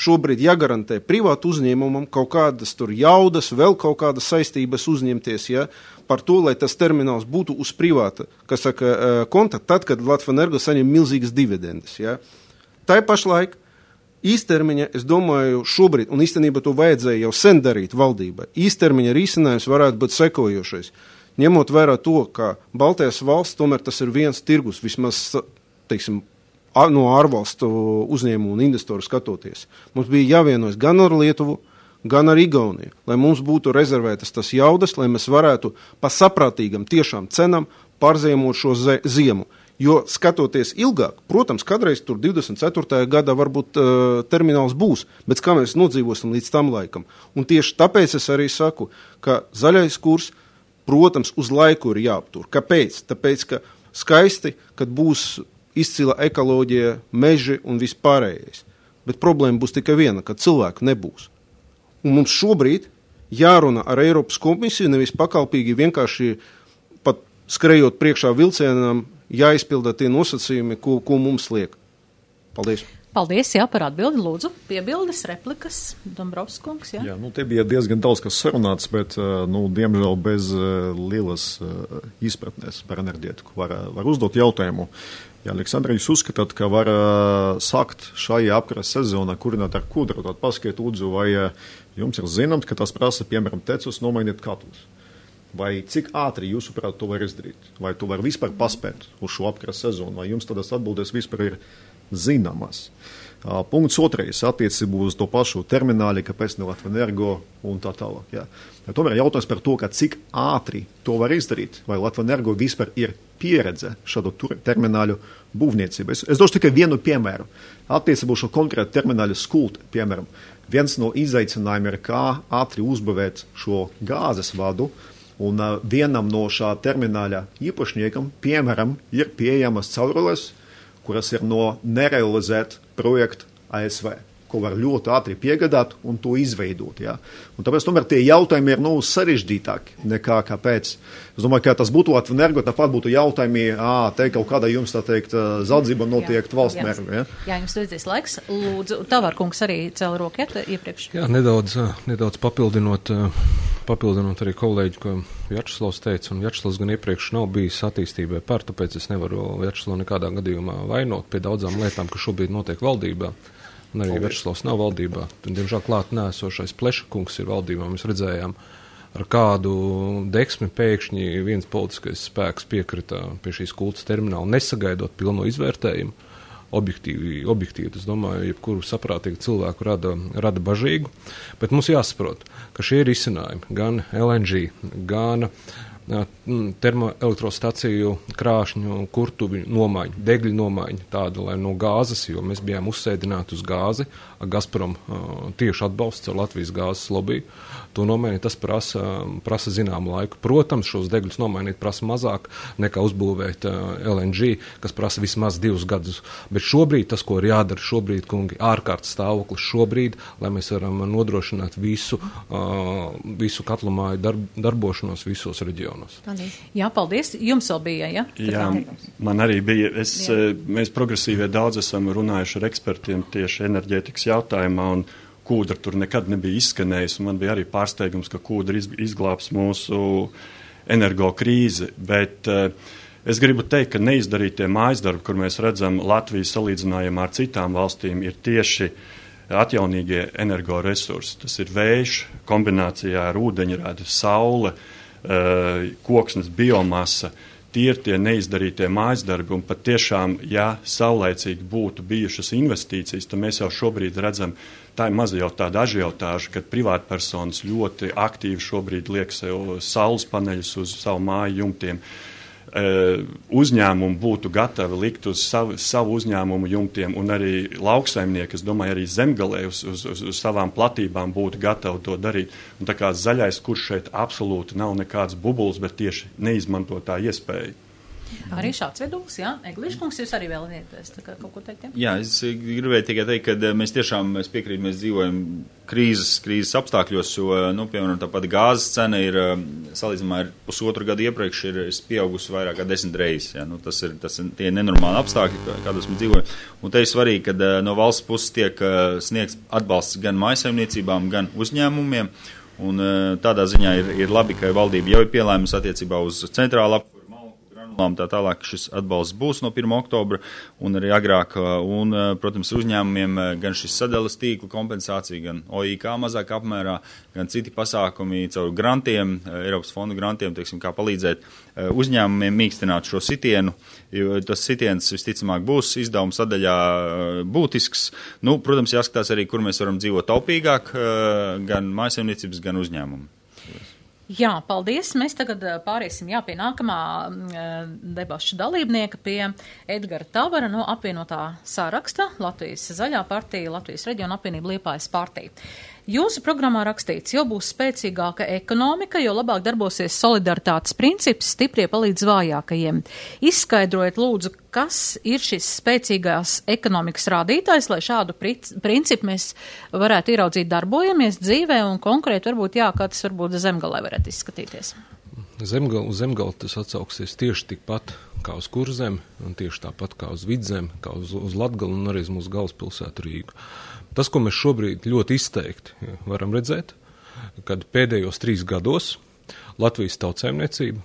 šobrīd jāgarantē privātu uzņēmumam kaut kādas tur jaudas, vēl kaut kādas saistības uzņemties, ja, par to, lai tas termināls būtu uz privāta, kas saka, konta, tad, kad Latvenergo saņem milzīgas dividendes. Ja. Tā pašlaik īstermiņa, es domāju, šobrīd, un īstenībā to vajadzēja jau sen darīt valdībai, īstermiņa risinājums varētu būt sekojošais. Ņemot vērā to, ka Baltijas valsts, tomēr tas ir viens tirgus, vismaz, teiksim, no ārvalstu uzņēmumu un investoru skatoties. Mums bija jāvienojas gan ar Lietuvu, gan ar Igauniju, lai mums būtu rezervētas tas jaudas, lai mēs varētu pa saprātīgam tiešām cenam pārziemot šo ziemu. Jo skatoties ilgāk, protams, kādreiz tur divdesmit ceturtajā gadā varbūt uh, termināls būs, bet kā mēs nodzīvosim līdz tam laikam. Un tieši tāpēc es arī saku, ka zaļais kurs, protams, uz laiku ir jāaptur. Kāpēc? Tāpēc, ka skaisti, kad būs izcila ekoloģija, meži un vispārējais. Bet problēma būs tikai viena, ka cilvēku nebūs. Un mums šobrīd jārunā ar Eiropas komisiju, nevis pakalpīgi vienkārši pat skrejot priekšā vilcienam, jāizpilda tie nosacījumi, ko, ko mums liek. Paldies. Paldies, jā, par atbildi. Lūdzu, piebildes, replikas, Dombrovskis kungs, jā. Jā, nu, te bija diezgan daudz, kas sarunāts, bet, nu, diemžēl bez lielas izpratnes par enerģētiku var, var uzdot jautājumu. Ja, Aleksandra, jūs uzskatāt, ka var sākt šajā apkaras sezonā kurināt ar kūdru, tad paskiet lūdzu, vai jums ir zināms, ka tas prasa, piemēram, tecus nomainīt katlus? Vai cik ātri jūsuprāt to var izdarīt? Vai to var vispār paspēt uz šo apkaras sezonu? Vai jums tādas atbildes vispār ir zināmas? Uh, punkts otrais attiecībā uz to pašu termināli, kāpēc ne Latvenergo un tā tālāk. Jā. Ja tomēr jautājums par to, ka cik ātri to var izdarīt, vai Latvenergo vispār ir pieredze šādu termināļu būvniecību. Es, es došu tikai vienu piemēru. Attiecībā uz šo konkrētu termināļu skulti, piemēram, viens no izaicinājumiem ir, kā ātri uzbūvēt šo gāzes vadu, un uh, vienam no šā termināļa īpašniekam, piemēram, ir pieejamas caurules, kuras ir no nerealizēt projektu A S V, ko var ļoti ātri piegādāt un to izveidot. Ja? Un tāpēc tomēr tie jautājumi ir nu, sarežģītāki nekā kāpēc. Es domāju, ka tas būtu Latvenergo, tāpat būtu jautājumi, ā, te kaut kādā jums, tā teikt, zaldzība notiek valsts mērķi. Ja? Jā, jums vajadzēs laiks. Lūdzu, Tavārkungs arī cēla roku iepriekš. Jā, nedaudz, nedaudz papildinot, papildinot arī kolēģi, ko Vjačeslavs teica, un Vjačeslavs gan iepriekš nav bijis attīstībai par, tāpēc es nevaru Vjačeslavu nekādā gadījumā vainot pie daudzām lietām, kas šobrīd notiek valdībā. Un arī Vjačeslavs nav valdībā. Diemžēl klāt nēsošais Plešakungs ir valdībā. Mēs redzējām, ar kādu deksmi pēkšņi viens politiskais spēks piekrita pie šīs kultas termināla, nesagaidot pilno izvērtējumu. Objektīvi, objektīvi, es domāju, jebkuru saprātīgu cilvēku rada, rada bažīgu. Bet mums jāsaprot, ka šie ir izcinājumi gan L N G, gan termoelektrostaciju krāšņu, kurtuvi nomaiņu, degļu nomaiņu, tāda, lai no gāzes, jo mēs bijām uzsēdināti uz gāzi, Gazprom uh, tieši atbalsts ar Latvijas gāzes lobby, to nomainīt, tas prasa, prasa zināmu laiku. Protams, šos degļus nomainīt prasa mazāk nekā uzbūvēt uh, L N G, kas prasa vismaz divus gadus. Bet šobrīd tas, ko ir jādara šobrīd, kungi, ārkārtas stāvoklis šobrīd, lai mēs varam nodrošināt visu, uh, visu katlamāju darb, darbošanos visos reģionos. Paldies. Jā, paldies. Jums vēl bija, ja? Jā, man arī bija. Es, mēs progresīvie daudz esam runājuši ar ekspertiem tieši enerģētikas jautājumā, un kūdra tur nekad nebija izskanējis, un man bija arī pārsteigums, ka kūdra izglābs mūsu energo krīzi, bet uh, es gribu teikt, ka neizdarītie mājasdarbi, kur mēs redzam Latvijas salīdzinājumā ar citām valstīm, ir tieši atjaunīgie energoresursi. Tas ir vējš kombinācijā ar ūdeņradi, saule, uh, koksnes biomasa. tie ir tie neizdarītie mājas darbi, un pat tiešām, ja saulēcīgi būtu bijušas investīcijas, tad mēs jau šobrīd redzam, tā ir maza jau tāda ažiotāža, kad privātpersonas ļoti aktīvi šobrīd liek sev saules paneļus uz savu māju jumtiem. Uzņēmumi būtu gatavi likt uz savu, savu uzņēmumu jumtiem, un arī lauksaimnieki, es domāju, arī zemgalē uz, uz, uz, uz savām platībām būtu gatavi to darīt. Un tā kā zaļais kurs šeit absolūti nav nekāds bubuls, bet tieši neizmanto tā iespēju. Arī šāds viedoklis, jā. Eglīškungs, jūs arī vēlaties kaut ko teikt? Jā, jā es gribēju tikai teikt, ka mēs tiešām, mēs piekrīt, mēs dzīvojam krīzes, krīzes apstākļos, jo, nu, piemēram, tāpat gāzes cena ir, salīdzinājumā ar pusotru gadu iepriekš, ir pieaugusi vairāk kā desmit reizes. Ja? Nu, tas ir, tas ir tie nenormāli apstākļi, kādos mēs dzīvojam. Un te ir svarīgi, ka no valsts puses tiek sniegts atbalsts gan mājsaimniecībām, gan uzņēmumiem. Un tādā ziņā ir, ir labi, ka valdība jau ir pielēmusi attiecībā uz centrālu apkuru. Tā tālāk šis atbalsts būs no pirmā oktobra un arī agrāk, un, protams, uzņēmumiem gan šis sadalas tīklu kompensācija, gan O I K mazāk apmērā, gan citi pasākumi caur grantiem, Eiropas fondu grantiem, teiksim, kā palīdzēt uzņēmumiem mīkstināt šo sitienu, jo tas sitiens visticamāk būs izdevuma sadaļā būtisks. Nu, protams, jāskatās arī, kur mēs varam dzīvot taupīgāk, gan mājsaimniecības, gan uzņēmumu. Jā, paldies. Mēs tagad pāriesim jā, pie nākamā debašu dalībnieka, pie Edgara Tavara no apvienotā saraksta, Latvijas Zaļā partija, Latvijas reģiona apvienība Liepājas partija. Jūsu programmā rakstīts, jo būs spēcīgāka ekonomika, jo labāk darbosies solidaritātes princips, stiprie palīdz vājākajiem. Izskaidrojiet, lūdzu, kas ir šis spēcīgās ekonomikas rādītājs, lai šādu principu mēs varētu ieraudzīt darbojamies dzīvē un konkrēti varbūt, jā, kā tas varbūt Zemgalē varētu izskatīties. Zemgal, uz Zemgali tas atsauksies tieši tikpat kā uz Kurzemi, un tieši tāpat kā uz Vidzemi, kā uz, uz Latgali un arī uz mūsu galvaspilsētu Rīgu. Tas, ko mēs šobrīd ļoti izteikti varam redzēt, kad pēdējos trīs gados Latvijas tautsēmniecība,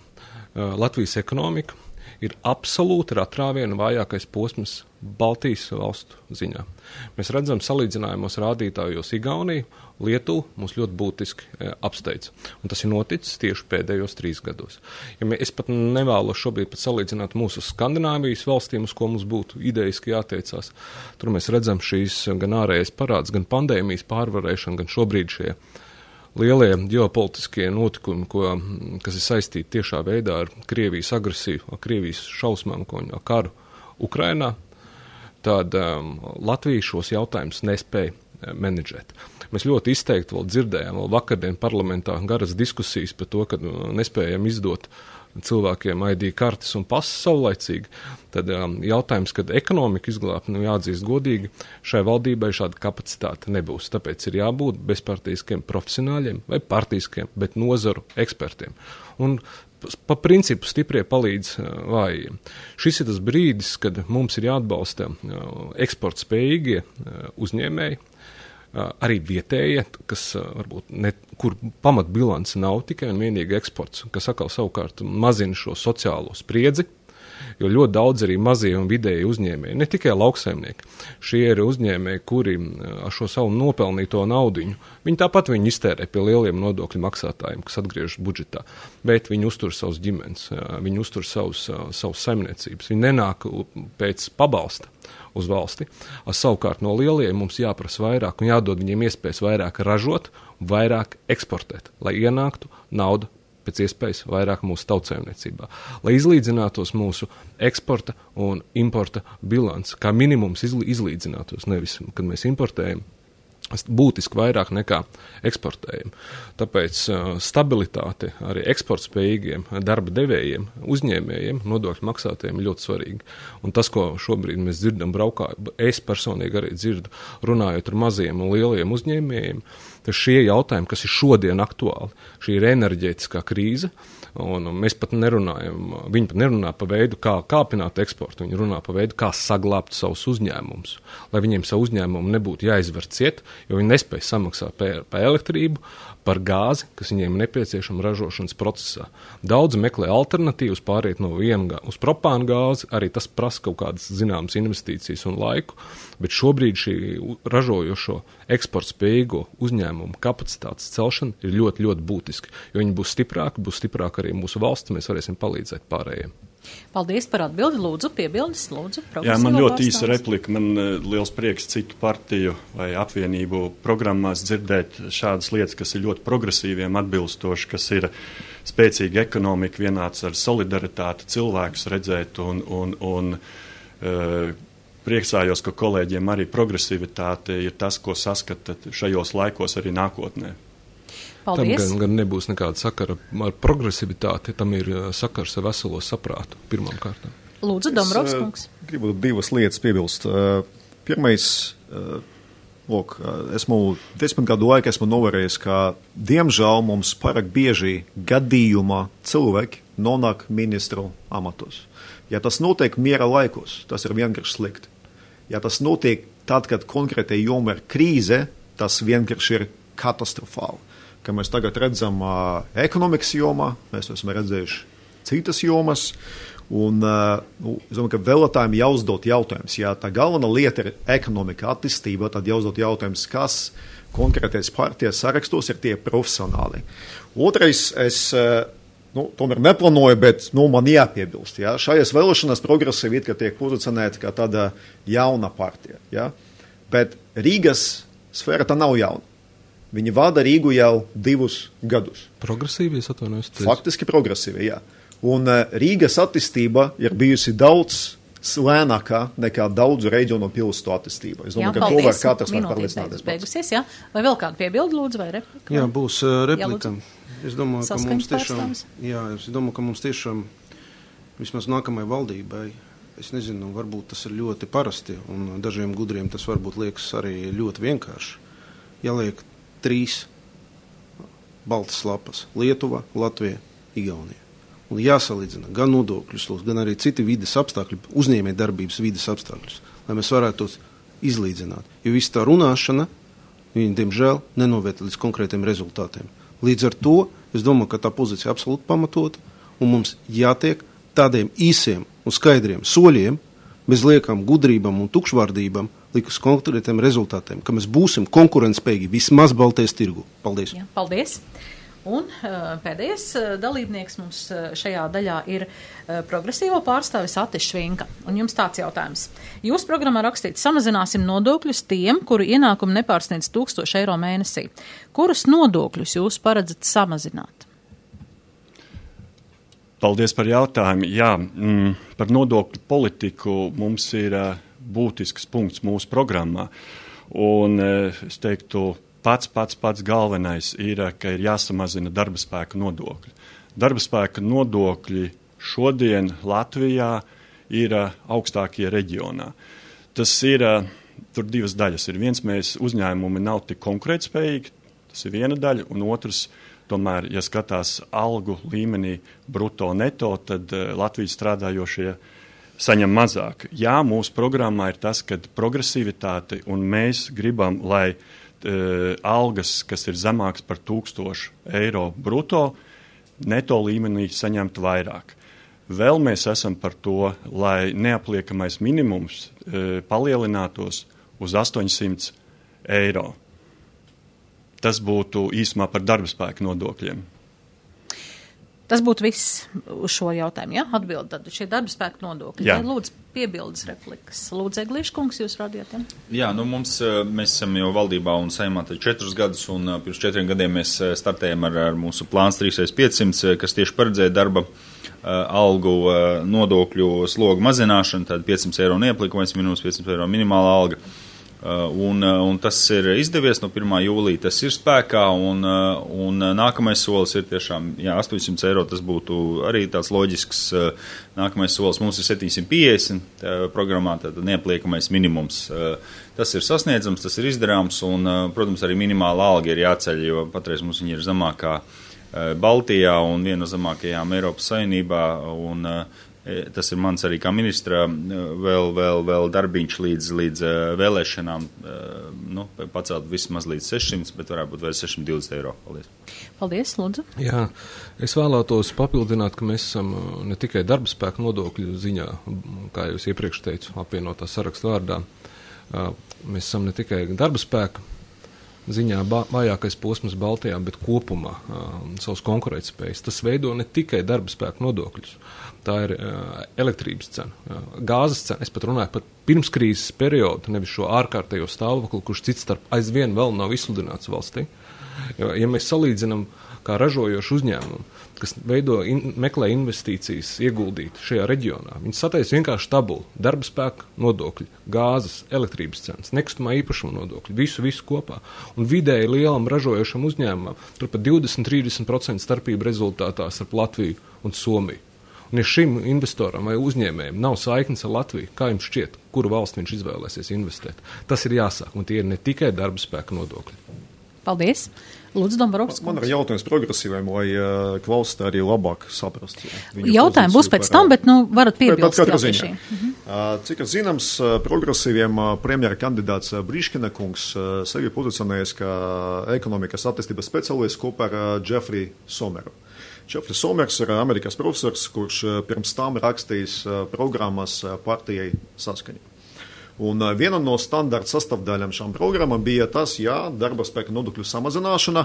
Latvijas ekonomika ir absolūti ar atrāvienu vājākais posms Baltijas valstu ziņā. Mēs redzam salīdzinājumos rādītājos Igauniju, Lietuvu mūs ļoti būtiski e, apsteidz. Un tas ir noticis tieši pēdējos trīs gados. Ja mē, es pat nevēlos šobrīd pat salīdzināt mūsu Skandināvijas valstīm, uz ko mums būtu idejiski jātiecās. Tur mēs redzam šīs gan ārējais parāds, gan pandēmijas pārvarēšana, gan šobrīd šie lielie ģeopolitiskie notikumi, ko, kas ir saistīti tiešā veidā ar Krievijas agresiju, ar Krievijas šausmām, ar karu Ukrainā, tad um, Latvija šos jautājumus nespēja menedžēt. Mēs ļoti izteikti vēl dzirdējām, vēl vakardien parlamentā garas diskusijas par to, ka nespējam izdot cilvēkiem I D kartes un pases saulaicīgi. Tad um, jautājums, kad ekonomika izglābt, nu jāatzīst godīgi, šai valdībai šāda kapacitāte nebūs. Tāpēc ir jābūt bezpartīskiem profesionāļiem vai partīskiem, bet nozaru ekspertiem. Un pa principu stiprie palīdz uh, vājiem. Šis ir tas brīdis, kad mums ir jāatbalsta uh, eksporta spējīgie uh, uzņēmēji, arī vietējie, kas varbūt ne, kur pamatbilance nav tikai un vienīgi eksports, kas atkal savukārt mazina šo sociālo spriedzi, jo ļoti daudz arī mazie un vidēji uzņēmēji, ne tikai lauksaimnieki, šie ir uzņēmēji, kuri ar šo savu nopelnīto naudiņu, viņi tāpat viņi iztērē pie lieliem nodokļu maksātājiem, kas atgriežas budžetā, bet viņi uztur savus ģimenes, viņi uztur savus, savus saimniecības, viņi nenāk pēc pabalsta uz valsti. Savukārt no lieliem mums jāprasa vairāk un jādod viņiem iespējas vairāk ražot, vairāk eksportēt, lai ienāktu nauda pēc iespējas vairāk mūsu tautsēmniecībā. Lai izlīdzinātos mūsu eksporta un importa bilants, kā minimums izlīdzinātos, nevis, kad mēs importējam, būtiski vairāk nekā eksportējam. Tāpēc uh, stabilitāte arī eksportspējīgiem darba devējiem, uzņēmējiem, nodokļu maksātājiem ir ļoti svarīgi. Un tas, ko šobrīd mēs dzirdam braukā, es personīgi arī dzirdu, runājot ar maziem un lieliem uzņēmējiem, tad šie jautājumi, kas ir šodien aktuāli, šī ir enerģētiskā krīze, un mēs pat nerunājam, viņi pat nerunā pa veidu, kā kāpināt eksportu, viņi runā pa veidu, kā saglābt savus uzņēmumus, lai viņiem savu uzņēmumu nebūtu jāizver ciet, jo viņi nespēj samaksāt par, par elektrību, par gāzi, kas viņiem nepieciešama ražošanas procesā. Daudz meklē alternatīvas pāriet no viena uz propānu gāzi, arī tas prasa kaut kādas zināmas investīcijas un laiku, bet šobrīd šī ražojošo eksportspējīgo uzņēmumu uzņēmumu kapacitātes celšana ir ļoti, ļoti būtiski, jo viņi būs stiprāki, būs stiprāki arī mūsu valsts, mēs varēsim palīdzēt pārējiem. Paldies par atbildi. Lūdzu, piebildes, lūdzu. Jā, man ļoti īsa replika. Man uh, liels prieks citu partiju vai apvienību programmās dzirdēt šādas lietas, kas ir ļoti progresīviem atbilstoši, kas ir spēcīga ekonomika, vienāds ar solidaritāti, cilvēkus redzēt un, un, un uh, priecājos, ka kolēģiem arī progresivitāte ir tas, ko saskata šajos laikos arī nākotnē. Paldies. Tam gan, gan nebūs nekāda sakara ar progresivitāti, tam ir sakars ar veselo saprātu pirmām kārtām. Lūdzu, Dombrovs kungs. Es gribu divas lietas piebilst. Pirmais, lūk, esmu desmit gadu laikā esmu novērējis, ka diemžēl mums pārāk bieži gadījumā cilvēki nonāk ministru amatos. Ja tas notiek miera laikos, tas ir vienkārši slikti. Ja tas notiek tad, kad konkrētai joma ir krīze, tas vienkārši ir katastrofāli. Ka mēs tagad redzam uh, ekonomikas jomā, mēs esam redzējuši citas jomas, un uh, nu, es domāju, ka vēlētājiem jāuzdot jautājums. Ja tā galvenā lieta ir ekonomika attīstība, tad jāuzdot jautājums, kas konkrētais partijas sarakstos ir tie profesionāli. Otrais, es uh, nu, tomēr neplānoju, bet nu, man jāpiebilst. Ja? Šajās vēlēšanās progresīvi it kā tiek pozicionēta kā tāda jauna partija. Ja? Bet Rīgas sfēra tā nav jauna. Viņi vada Rīgu jau divus gadus. Progresīvi, es atvainojos. Faktiski progresīvi, jā. Un uh, Rīgas attīstība ir bijusi daudz lēnākā nekā daudzu reģionu pilsētu attīstība. Es domāju, jā, ka to var katrs var pārliecināties. Beigusies, jā. Vai vēl kādu piebildu, lūdzu, vai replika? Jā, būs uh, replika. Jā, es domāju, ka mums tiešām, pārstāvis. jā, es domāju, ka mums tiešām vismaz nākamajai valdībai, es nezinu, varbūt tas ir ļoti parasti, un dažiem gudriem tas varbūt liekas arī ļoti vienkārši. Jāliek trīs baltas lapas - Lietuva, Latvija, Igaunija. Un jāsalīdzina gan nodokļus, gan arī citi vides apstākļi, uzņēmē darbības vides apstākļus, lai mēs varētu tos izlīdzināt. Jo viss tā runāšana, viņi, diemžēl, nenoviet līdz konkrētiem rezultātiem. Līdz ar to, es domāju, ka tā pozīcija absolūti pamatota, un mums jātiek tādiem īsiem un skaidriem soļiem, bez liekām gudrībām un tukšvārdībām, līdz konkrētiem rezultātiem, ka mēs būsim konkurentspējīgi vismaz Baltijas tirgu. Paldies! Jā, paldies! Un uh, pēdējais uh, dalībnieks mums uh, šajā daļā ir uh, progresīvo pārstāvis Atis Švinka. Un jums tāds jautājums. Jūsu programmā rakstīts, samazināsim nodokļus tiem, kuru ienākumi nepārsniedz tūkstoši eiro mēnesī. Kurus nodokļus jūs paredzat samazināt? Paldies par jautājumu. Jā, mm, par nodokļu politiku mums ir uh, būtisks punkts mūsu programmā. Un uh, es teiktu, pats, pats, pats galvenais ir, ka ir jāsamazina darba spēka nodokļi. Darba spēka nodokļi šodien Latvijā ir uh, augstākie reģionā. Tas ir, uh, tur divas daļas ir. Viens, mēs uzņēmumi nav tik konkurētspējīgi, tas ir viena daļa, un otrs, tomēr, ja skatās algu līmenī bruto neto, tad uh, Latvijas strādājošie saņem mazāk. Jā, mūsu programmā ir tas, ka progresivitāte, un mēs gribam, lai uh, algas, kas ir zemāks par tūkstošu eiro bruto, neto līmenī saņemtu vairāk. Vēl mēs esam par to, lai neapliekamais minimums uh, palielinātos uz astoņsimt eiro. Tas būtu īsumā par darba spēka nodokļiem. Tas būtu viss uz šo jautājumu, jā? Atbildi tad šie darba spēka nodokļi. Jā. Lūdzu, piebildes replikas. Lūdzu, Eglīškungs, jūs radījāt, jā? Jā, nu mums, mēs esam jau valdībā un saimā četrus gadus, un pirms četriem gadiem mēs startējam ar, ar mūsu plāns trīs reiz piecsimt, kas tieši paredzēja darba algu nodokļu slogu mazināšanu, tad piecsimt eiro neapliekamais minimums, piecsimt eiro minimāla alga. Un, un tas ir izdevies, no pirmā jūlija tas ir spēkā, un, un nākamais solis ir tiešām, jā, astoņsimt eiro, tas būtu arī tāds loģisks nākamais solis. Mums ir septiņsimt piecdesmit programmā, tad neapliekamais minimums. Tas ir sasniedzams, tas ir izdarāms, un, protams, arī minimāla alga ir jāceļ, jo patreiz mums viņa ir zemākā Baltijā un viena no zemākajām Eiropas Savienībā, un tas ir mans arī kā ministra vēl, vēl, vēl darbiņš līdz, līdz vēlēšanām, nu, pacelt vismaz līdz sešsimt, bet varētu būt vēl sešsimt divdesmit eiro. Paldies. Paldies, lūdzu. Jā, es vēlētos papildināt, ka mēs esam ne tikai darba spēka nodokļu ziņā, kā jūs iepriekš teicu, apvienotā sarakstu vārdā. Mēs esam ne tikai darba spēka ziņā vājākais posms Baltijā, bet kopumā uh, savas konkurētspējas. Tas veido ne tikai darba spēku nodokļus, tā ir uh, elektrības cena, uh, gāzes cena. Es pat runāju par pirmskrīzes periodu, nevis šo ārkārtējo stāvokli, kurš cits starp aizvien vēl nav izsludināts valstī. Jo, ja mēs salīdzinām kā ražojošu uzņēmumu, kas veido, in, meklē investīcijas ieguldīt šajā reģionā, viņi sataisa vienkārši tabulu, darba spēka nodokļi, gāzes, elektrības cenas, nekustamā īpašuma nodokļi, visu, visu kopā. Un vidēji lielam ražojošam uzņēmumam tur pat divdesmit līdz trīsdesmit procenti starpība rezultātā starp Latviju un Somiju. Un ja šim investoram vai uzņēmējiem nav saiknes ar Latviju, kā jums šķiet, kuru valsti viņš izvēlēsies investēt? Tas ir jāsāk, un tie ir ne tikai darba spēka nodokļi. Paldies. Lūdzu, Dombrovskis. Man ir jautājums progresīviem, lai uh, klausītāji arī labāk saprast. Jautājumi būs pēc tam, bet, nu, varat piebilst. Katrā ziņā. Mhm. Uh, cik ir zināms, uh, progresīviem uh, premjera kandidāts uh, Briškina kungs uh, sevi pozicionējas kā ekonomikas attīstības speciālists kopā ar uh, Jeffrey Someru. Jeffrey Somers ir Amerikas profesors, kurš uh, pirms tam rakstījis uh, programmas uh, partijai Saskaņa. Un viena no standarta sastāvdaļām šām programmām bija tas, jā, darba spēka nodokļu samazināšana,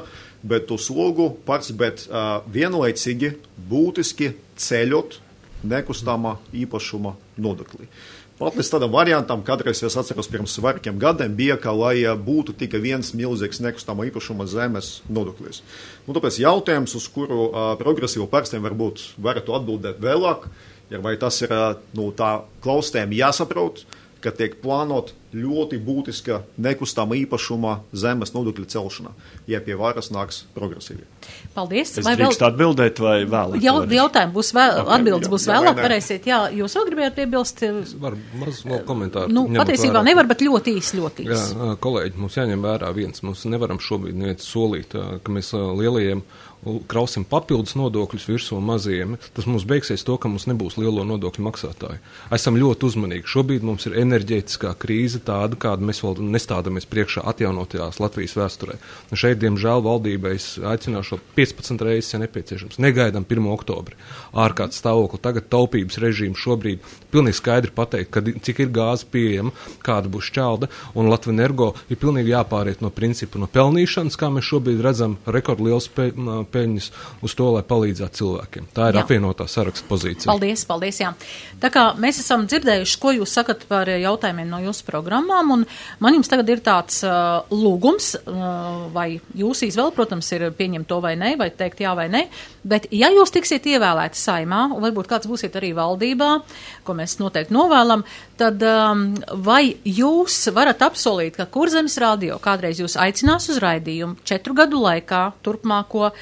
bet to slogu pārs, bet uh, vienlaicīgi būtiski ceļot nekustamā īpašuma nodokli. Pat līdz tādam variantam, kādreiz es atceros pirms vairākiem gadiem, bija, ka lai būtu tikai viens milzīgs nekustamā īpašuma zemes nodoklis. Un tāpēc jautājums, uz kuru uh, progresīvu pārstāvjiem varbūt varētu atbildēt vēlāk, ja vai tas ir uh, nu, tā klausītājiem jāsaprot, ka tiek plānot ļoti būtiska nekustama īpašuma zemes nodokļa celšana, ja pie varas nāks progresīvi. Paldies. Es drīkst vēl... atbildēt vai vēlāk? Jau, jautājumi būs vēl, atbildes būs jā, vēlāk, varēsiet. Jā, jūs vēl gribējāt piebilst? Es varu maz vēl komentāru. Nu, patiesībā vērā. Nevar, bet ļoti īs, ļoti īs. Jā, kolēģi, mums jāņem vērā viens. Mums nevaram šobrīd neviens solīt, ka mēs lielajiem krausim papildus nodokļus virsū mazajiem. Tas mums beigsies to, ka mums nebūs lielo nodokļu maksātāju. Esam ļoti uzmanīgi. Šobrīd mums ir enerģētiskā krīze tāda, kādu mēs vēl nestādamies priekšā atjaunotajās Latvijas vēsturē. Un šeit, diemžēl, valdībai es aicināšu piecpadsmit reizes, ja nepieciešams. Negaidām pirmo oktobri. Ārkārtas stāvokli. Tagad taupības režīmu šobrīd pilnīgi skaidri pateikt, kad, cik ir gāze pieejama, kāda būs šķelda, un Latvenergo ir pilnīgi jāpāriet no principu no pelnīšanas, kā mēs šobrīd redzam rekordliels pe, peļņas uz to, lai palīdzētu cilvēkiem. Tā ir jā. Apvienotā saraksta pozīcija. Paldies, paldies, jā. Tā kā mēs esam dzirdējuši, ko jūs sakat par jautājumiem no jūsu programmām, un man jums tagad ir tāds uh, lūgums, uh, vai jūs izvēle, protams, ir pieņemt to vai ne, vai teikt jā vai ne, bet ja jūs tiksiet ievēlēti saimā, un varbūt kāds būsiet arī valdībā, ko mēs noteikti novēlam, tad um, vai jūs varat apsolīt, ka Kurzemes radio kādreiz jūs aicinās uz raidījumu četru gadu laikā turpmāko uh,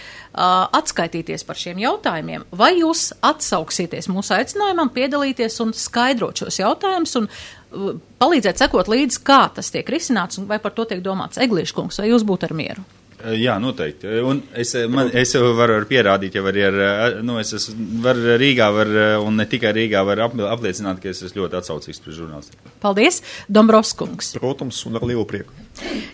atskaitīties par šiem jautājumiem, vai jūs atsauksieties mūsu aicinājumam piedalīties un skaidrot šos jautājumus un uh, palīdzēt sekot līdzi, kā tas tiek risināts un vai par to tiek domāts. Eglīškungs, vai jūs būtu ar mieru? Jā, noteikti. Un es, man, es varu pierādīt, ja var ar, nu, es varu Rīgā var, un ne tikai Rīgā var apliecināt, ka es esmu ļoti atsaucīgs pret žurnālistiem. Paldies, Dombrovskungs. Protams, un ar lielu prieku.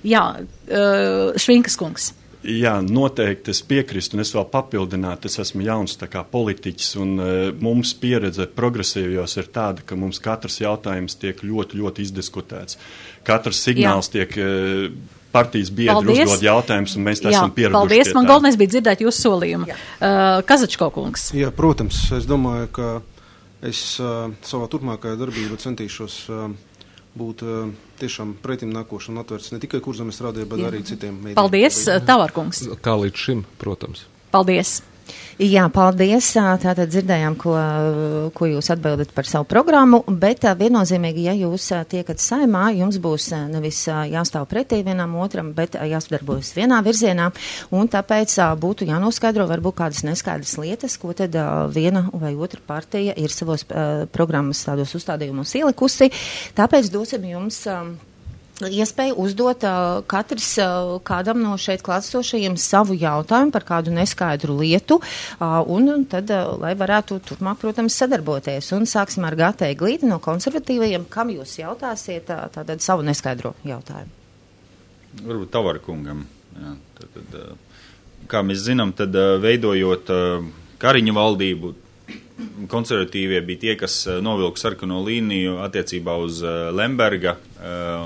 Jā, uh, Švinkas kungs. Jā, noteikti es piekrīstu, un es vēl papildinātu, es esmu jauns tā kā politiķis, un uh, mums pieredze progresīvajos ir tāda, ka mums katrs jautājums tiek ļoti, ļoti izdiskutēts. Katrs signāls Jā. tiek uh, partijas biedri uzdod jautājumus, un mēs tā esam pieraduši. Paldies, man galvenais bija dzirdēt jūsu solījumu. Uh, Kazačko kungs. Jā, protams, es domāju, ka es uh, savā turpmākajā darbībā centīšos uh, būt uh, tiešām pretim nākoši un atvērts ne tikai Kurzemes radio, bet Jā. arī citiem mēdījiem. Paldies, Tavarkungs. Kā līdz šim, protams. Paldies. Jā, paldies. Tātad dzirdējām, ko, ko jūs atbildat par savu programmu, bet viennozīmīgi, ja jūs tiekat saimā, jums būs nevis jāstāv pretī vienam otram, bet jāsadarbojas vienā virzienā, un tāpēc būtu jānoskaidro varbūt kādas neskaidras lietas, ko tad viena vai otra partija ir savos programmas tādos uzstādījumos ielikusi. Tāpēc dosim jums iespēju uzdot uh, katrs uh, kādam no šeit klātsošajiem savu jautājumu par kādu neskaidru lietu, uh, un tad, uh, lai varētu turpmāk, protams, sadarboties. Un sāksim ar Gāte Eglīti no konservatīvajiem. Kam jūs jautāsiet uh, tātad savu neskaidro jautājumu? Varbūt Tavara kungam. Jā, tad, tad, uh, kā mēs zinām, tad uh, veidojot uh, Kariņa valdību, konservatīvie bija tie, kas novilka sarkano līniju attiecībā uz Lemberga,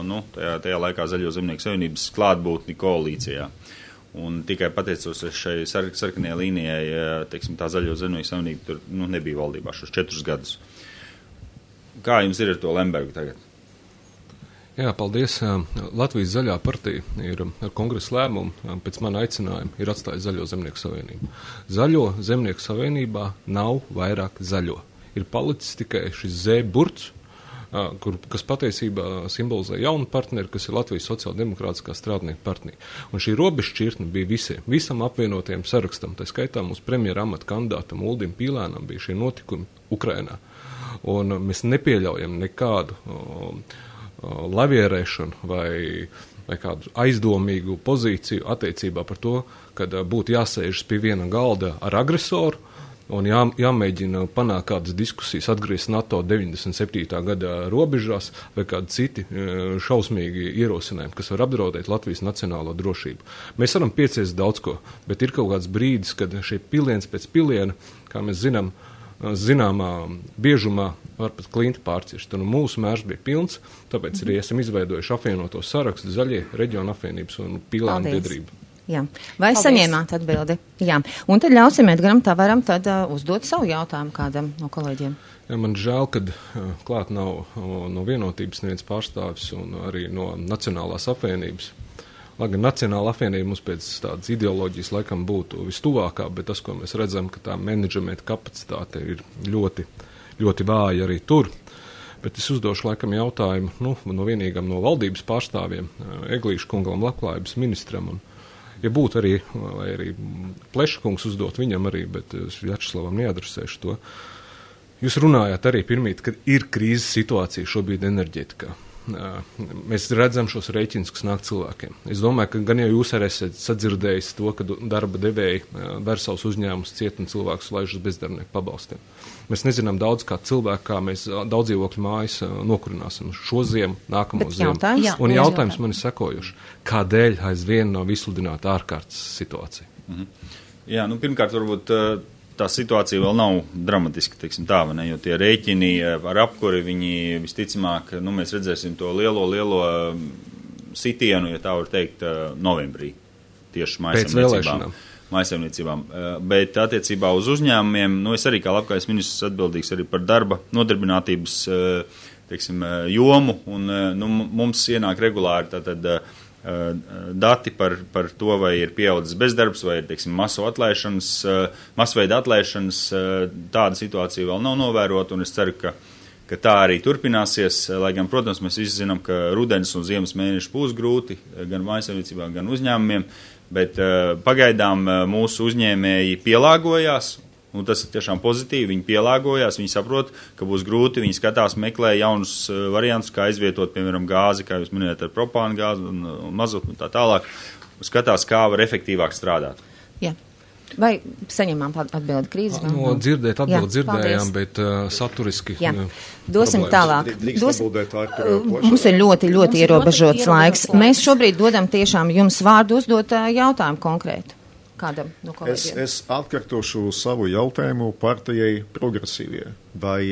nu, tajā, tajā laikā Zaļo zemnieku savienības klātbūtni koalīcijā. Un tikai pateicoties šai sar, sarkanajai līnijai, teiksim, tā Zaļo zemnieku savienība tur nu, nebija valdībā šos četrus gadus. Kā jums ir ar to Lembergu tagad? Jā, paldies. Latvijas Zaļā partija ir ar kongresa lēmumu pēc mana aicinājuma ir atstājusi Zaļo zemnieku savienību. Zaļo zemnieku savienībā nav vairāk zaļo. Ir palicis tikai šis Z burts, kur, kas patiesībā simbolizē jaunu partneri, kas ir Latvijas sociāldemokrātiskā strādnieku partija. Un šī robežšķirtne bija visiem, visam apvienotajam sarakstam, tā skaitā mūsu premjera amata kandidātam Uldim Pīlēnam bija šie notikumi Ukrainā. Un mēs nepieļaujam nekādu uh, lavierēšanu vai, vai kādu aizdomīgu pozīciju attiecībā par to, kad būtu jāsēžas pie viena galda ar agresoru un jā, jāmēģina panākt kādas diskusijas, atgriezt NATO deviņdesmit septītā gada robežās vai kādi citi šausmīgi ierosinājumi, kas var apdraudēt Latvijas nacionālo drošību. Mēs varam pieciest daudz ko, bet ir kaut kāds brīdis, kad šie piliens pēc piliena, kā mēs zinām, zināmā biežumā var pat klinti pārcirst. Un mūsu mērs bija pilns, tāpēc arī esam izveidojuši apvienoto sarakstu Zaļie reģiona apvienības un Pīlēnu biedrību. Jā. Vai Paldies. Saņēmāt atbildi? Jā. Un tad ļausim Edgaram Tavaram tad uh, uzdot savu jautājumu kādam no kolēģiem. Jā, man žēl, kad uh, klāt nav uh, no vienotības neviens pārstāvis un arī no Nacionālās apvienības. Lai gan Nacionāla apvienība mums pēc tādas ideoloģijas laikam būtu vistuvākā, bet tas, ko mēs redzam, ka tā menedžmenta kapacitāte ir ļoti, ļoti vāja arī tur. Bet es uzdošu laikam jautājumu nu, no vienīgam no valdības pārstāvjiem, Eglīša kungam, labklājības ministram. Un, ja būtu arī, vai arī Pleša kungs uzdot viņam arī, bet es Vjačeslavam neadresēšu to. Jūs runājāt arī pirmīt, kad ir krīzes situācija šobrīd enerģetikā. Mēs redzam šos rēķinus, kas nāk cilvēkiem. Es domāju, ka gan jau jūs arī esat sadzirdējis to, ka darba devēji ver savus uzņēmumus ciet un cilvēkus laiž uz bezdarbnieku pabalstiem. Mēs nezinām daudz kā cilvēku, kā mēs daudz dzīvokļu mājas nokurināsim šo ziemu, nākamo ziemu. Jautājums? Un jautājums man ir sekojuši. Kādēļ aizvien nav izsludināta ārkārtas situācija? Mhm. Jā, nu pirmkārt varbūt tā situācija vēl nav dramatiska, teiksim tā, vai ne, jo tie rēķini ar apkuri, viņi visticamāk, nu, mēs redzēsim to lielo, lielo sitienu, ja tā var teikt, novembrī, tieši mājasemniecībām. mājasemniecībām. Bet attiecībā uz uzņēmumiem, nu, es arī kā labklājības ministrs atbildīgs arī par darba nodarbinātības, teiksim, jomu, un, nu, mums ienāk regulāri tātad dati par, par to, vai ir pieaudzis bezdarbs, vai ir, teiksim, masu atlaišanas, masveida atlaišanas, tāda situācija vēl nav novērota, un es ceru, ka, ka tā arī turpināsies, lai gan, protams, mēs visi zinām, ka rudens un ziemas mēneši būs grūti, gan mājasemniecībām, gan uzņēmumiem, bet pagaidām mūsu uzņēmēji pielāgojās, un tas ir tiešām pozitīvi, viņi pielāgojās, viņi saprot, ka būs grūti, viņi skatās, meklē jaunus variantus, kā izvietot, piemēram, gāzi, kā jūs minējat, ar propānu gāzi un, un mazotu un tā tālāk, skatās, kā var efektīvāk strādāt. Jā. Vai saņemām atbildi krīzes? No dzirdēt atbildi dzirdējām, bet uh, saturiski. Jā. Uh, Dosim problēmas. tālāk. Dos, mums ir ļoti, ļoti ierobežots laiks. laiks. Mēs šobrīd dodam tiešām jums vārdu uzdot uh, jautājumu konkrētu. Kādam no kolēģiem? Es, es atkārtošu savu jautājumu partijai progresīvie. Vai,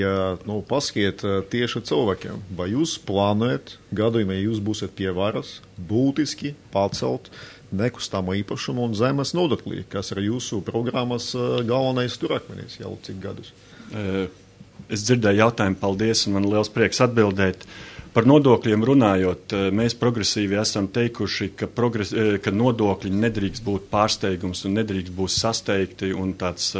nu, paskiet tieši cilvēkiem, vai jūs plānojat gadījumā, ja jūs būsiet pie varas, būtiski pacelt nekustamo īpašumu un zemes nodeklī, kas ir jūsu programmas galvenais turakmenis jau cik gadus? Es dzirdēju jautājumu, paldies, un man liels prieks atbildēt. Par nodokļiem runājot, mēs progresīvi esam teikuši, ka, progres, ka nodokļi nedrīkst būt pārsteigums un nedrīkst būt sasteigti un tāds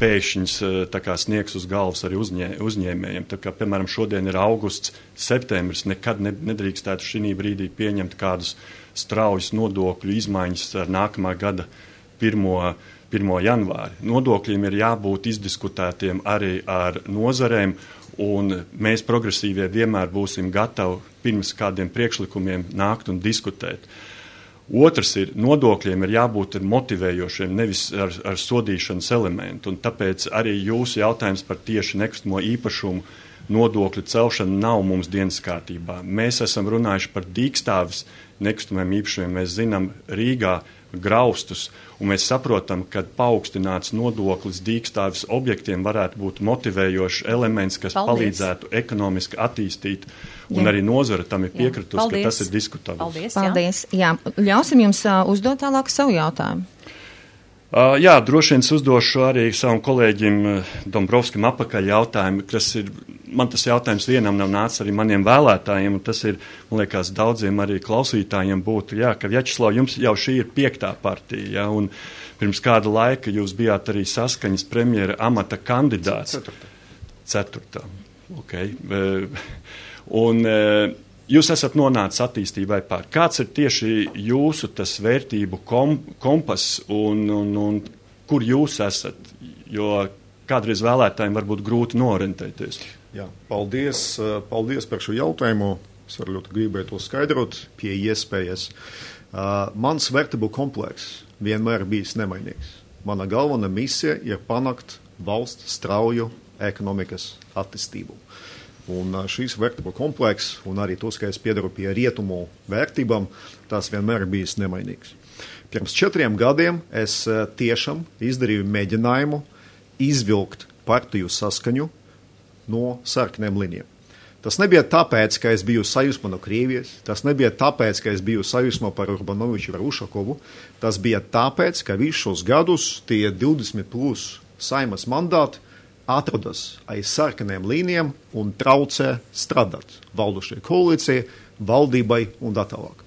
pēkšņs tā kā sniegs uz galvas arī uzņē, uzņēmējiem. Tā kā, piemēram, šodien ir augusts, septembris, nekad ne, nedrīkstētu šī brīdī pieņemt kādus straujus nodokļu izmaiņas ar nākamā gada pirmo janvāri. Nodokļiem ir jābūt izdiskutētiem arī ar nozarēm, un mēs progresīvie vienmēr būsim gatavi pirms kādiem priekšlikumiem nākt un diskutēt. Otrs ir, nodokļiem ir jābūt motivējošiem, nevis ar, ar sodīšanas elementu, un tāpēc arī jūsu jautājums par tieši nekustamo īpašumu nodokļu celšanu nav mums dienas kārtībā. Mēs esam runājuši par dīkstāvis nekustamiem īpašumiem. Mēs zinām, Rīgā graustus, un mēs saprotam, ka paaugstināts nodoklis dīkstāvis objektiem varētu būt motivējošs elements, kas Paldies. palīdzētu ekonomiski attīstīt, un jā. arī nozara tam ir piekritus, ka tas ir diskutabls. Paldies, Paldies. Jā. Jā. Ļausim jums uh, uzdot tālāk savu jautājumu. Uh, jā, droši vien uzdošu arī savam kolēģim uh, Dombrovskim apakaļ jautājumu, kas ir, man tas jautājums vienam nav nācis arī maniem vēlētājiem, un tas ir, man liekas, daudziem arī klausītājiem būtu, jā, ka Vjačeslav, jums jau šī ir piektā partija, jā, un pirms kāda laika jūs bijāt arī Saskaņas premjera amata kandidāts. Ceturtā. Ceturtā, ok. Uh, un uh, jūs esat nonācis attīstībai pār. Kāds ir tieši jūsu tas vērtību kom, kompas un, un, un kur jūs esat? Jo kādreiz vēlētājiem varbūt grūti norentēties. Jā, paldies, paldies par šo jautājumu. Es arī ļoti gribēju to skaidrot pie iespējas. Uh, mans vērtību komplekss vienmēr bijis nemainīgs. Mana galvenā misija ir panākt valsts strauju ekonomikas attīstību. Un šīs vērtību komplekss, un arī tos, ka es piedaru pie rietumu vērtībām, tas vienmēr ir bijis nemainīgs. Pirms četriem gadiem es tiešām izdarīju mēģinājumu izvilkt partiju Saskaņu no sarkaniem līnijām. Tas nebija tāpēc, ka es biju sajūsmā no Krievijas, tas nebija tāpēc, ka es biju sajūsmā par Urbanoviču vai Ušakovu, tas bija tāpēc, ka visus šos gadus tie divdesmit plus Saimas mandāti atrodas aiz sarkaniem līnijām un traucē strādāt valdošajai koalīcijai, valdībai un tā tālāk.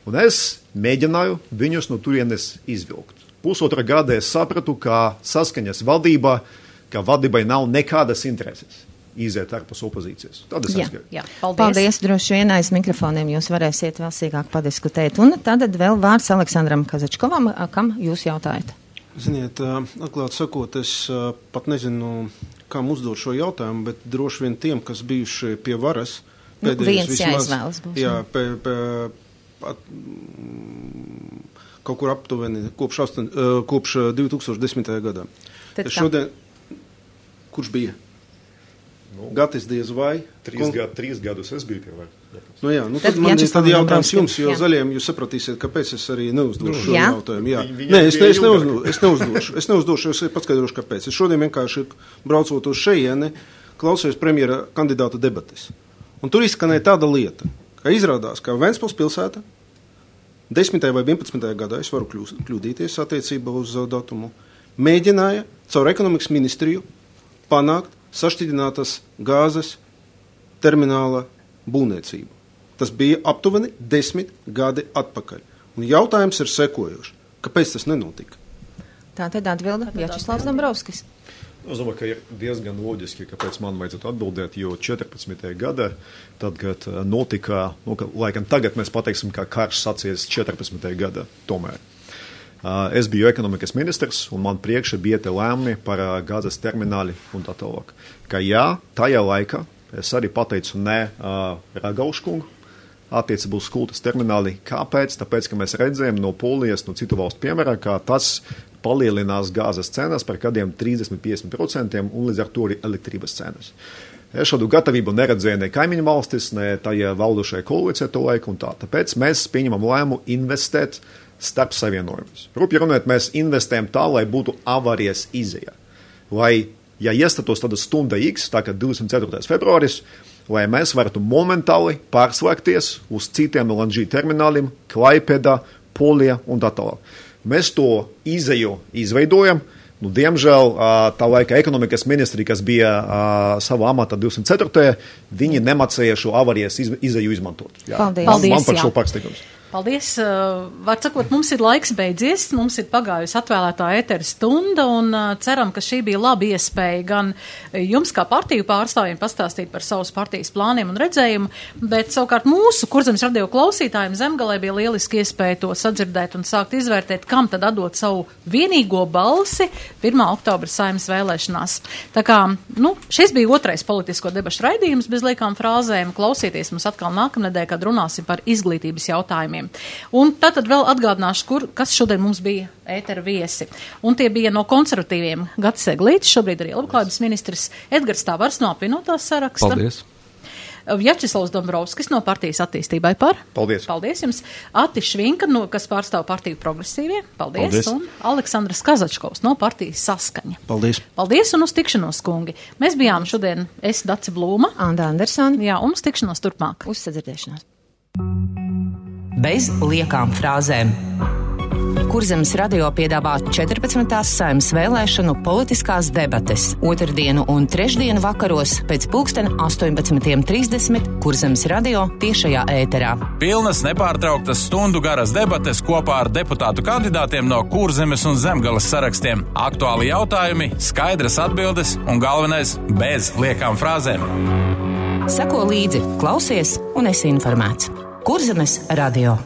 Un es mēģināju viņus no turienes izvilkt. Pusotra gada es sapratu, ka Saskaņas valdībā, ka valdībai nav nekādas intereses iziet ārpus opozīcijas. Tad es aizgāju. Jā, paldies. Paldies, droši vien aiz mikrofoniem jūs varēsiet vēl sīkāk padiskutēt. Un tad vēl vārds Aleksandram Kazačkovam, kam jūs jautājat? Ziniet, atklāt sakot, es pat nezinu, kam uzdot šo jautājumu, bet droši vien tiem, kas bijuši pie varas, nu, viens jāizvēlas būs. Jā, pē, pē, pat, kaut kur aptuveni kopš, astoņ, kopš divi tūkstoši desmitajā gadā. Tad šodien, kurš bija? Nu, Gatis diez vai? Trīs, Kon... gad, trīs gadus es biju pie varas. Nu jā, nu tad, tad man ir tad jautājums jums, jo jā. zaļiem jūs sapratīsiet, kāpēc es arī neuzdošu šo Jā? jautājumu. Jā. Vi, Nē, es, ne, es, neuzdošu, es neuzdošu, es neuzdošu, es paskaidrošu, kāpēc. Es šodien vienkārši braucot uz šejieni, klausījos premjera kandidāta debates. Un tur izskanēja tāda lieta, ka izrādās, ka Ventspils pilsēta desmitajā vai vienpadsmitajā gadā, es varu kļūst, kļūdīties attiecībā uz datumu, mēģināja caur ekonomikas ministriju panākt sašķidrinātas gāzes termināla būvniecību. Tas bija aptuveni desmit gadi atpakaļ. Un jautājums ir sekojošs. Kāpēc tas nenotika? Tā tad atbilda Vjačeslavs Dombrovskis. Es domāju, ka ir diezgan loģiski, kāpēc man vajadzētu atbildēt, jo četrpadsmitajā gadā, tad, kad notika, nu, ka, laikam tagad mēs pateiksim, ka karš sācies četrpadsmitajā gadā tomēr. Uh, es biju ekonomikas ministrs, un man priekšā bija te lēmumi par uh, gāzes termināli un tā tālāk. Ka jā, tajā laikā es arī pateicu ne uh, Ragauškungu attiecībā uz kultas termināli. Kāpēc? Tāpēc, ka mēs redzējām no Polijas, no citu valstu piemērā, ka tas palielinās gāzes cenas par kādiem trīsdesmit līdz piecdesmit procentiem un līdz ar to arī elektrības cenas. Es šādu gatavību neredzēju ne kaimiņu valstis, ne tajā valdošajā koalīcijā to laiku un tā. Tāpēc mēs pieņemam lēmumu investēt starp savienojumus. Rupi runājot, mēs investējam tā, lai būtu avārijas izēja. Lai, ja iestatos tāda stunda X, tā kā divdesmit ceturtais februāris, lai mēs varētu momentāli pārslēgties uz citiem L N G termināliem, Klaipēdā, Polija un tā tālāk. Mēs to izēju izveidojam. Nu, diemžēl tā laika ekonomikas ministri, kas bija savā amatā divdesmit ceturtajā viņi nemācīja šo avārijas izēju izmantot. Jā. Paldies. Man, Paldies, man par jā. šo pārsteigums. Paldies. Var sakot, mums ir laiks beidzies, mums ir pagājusi atvēlētā ētera stunda un ceram, ka šī bija laba iespēja gan jums kā partiju pārstāvjiem pastāstīt par savus partijas plāniem un redzējumu, bet savukārt mūsu Kurzemes radio klausītājiem Zemgalē bija lieliski iespēja to sadzirdēt un sākt izvērtēt, kam tad atdot savu vienīgo balsi pirmā oktobra Saeimas vēlēšanās. Tā kā, nu, šis bija otrais politisko debašu raidījums bez liekām frāzēm. Klausieties mums atkal nākamnedēļ, kad runāsim par izglītības jautājumiem. Un tātad vēl atgādināšu, kur, kas šodien mums bija ētera viesi. Un tie bija no konservatīviem Gatis Eglītis, šobrīd arī labklājības ministrs, Edgars Tavars no apvienotās saraksta. Paldies. Vjačeslavs Dombrovskis no partijas attīstībai par. Paldies. Paldies jums. Ati Švinka, no, kas pārstāv partiju progresīvie. Paldies. Paldies. Un Aleksandrs Kazačkovs no partijas Saskaņa. Paldies. Paldies un uz tikšanos, kungi. Mēs bijām šodien, es Dace Blūma. Anda Andersona. Jā, un uz tikšanos turpmāk. Uz sadzirdēšanos. Bez liekām frāzēm. Kurzemes radio piedāvā četrpadsmitās Saeimas vēlēšanu politiskās debates otrdienu un trešdienu vakaros pēc pulksten astoņpadsmit trīsdesmit Kurzemes radio tiešajā ēterā. Pilnas nepārtrauktas stundu garas debates kopā ar deputātu kandidātiem no Kurzemes un Zemgales sarakstiem. Aktuāli jautājumi, skaidras atbildes un galvenais bez liekām frāzēm. Seko līdzi, klausies un esi informēts. Kurzemes radio.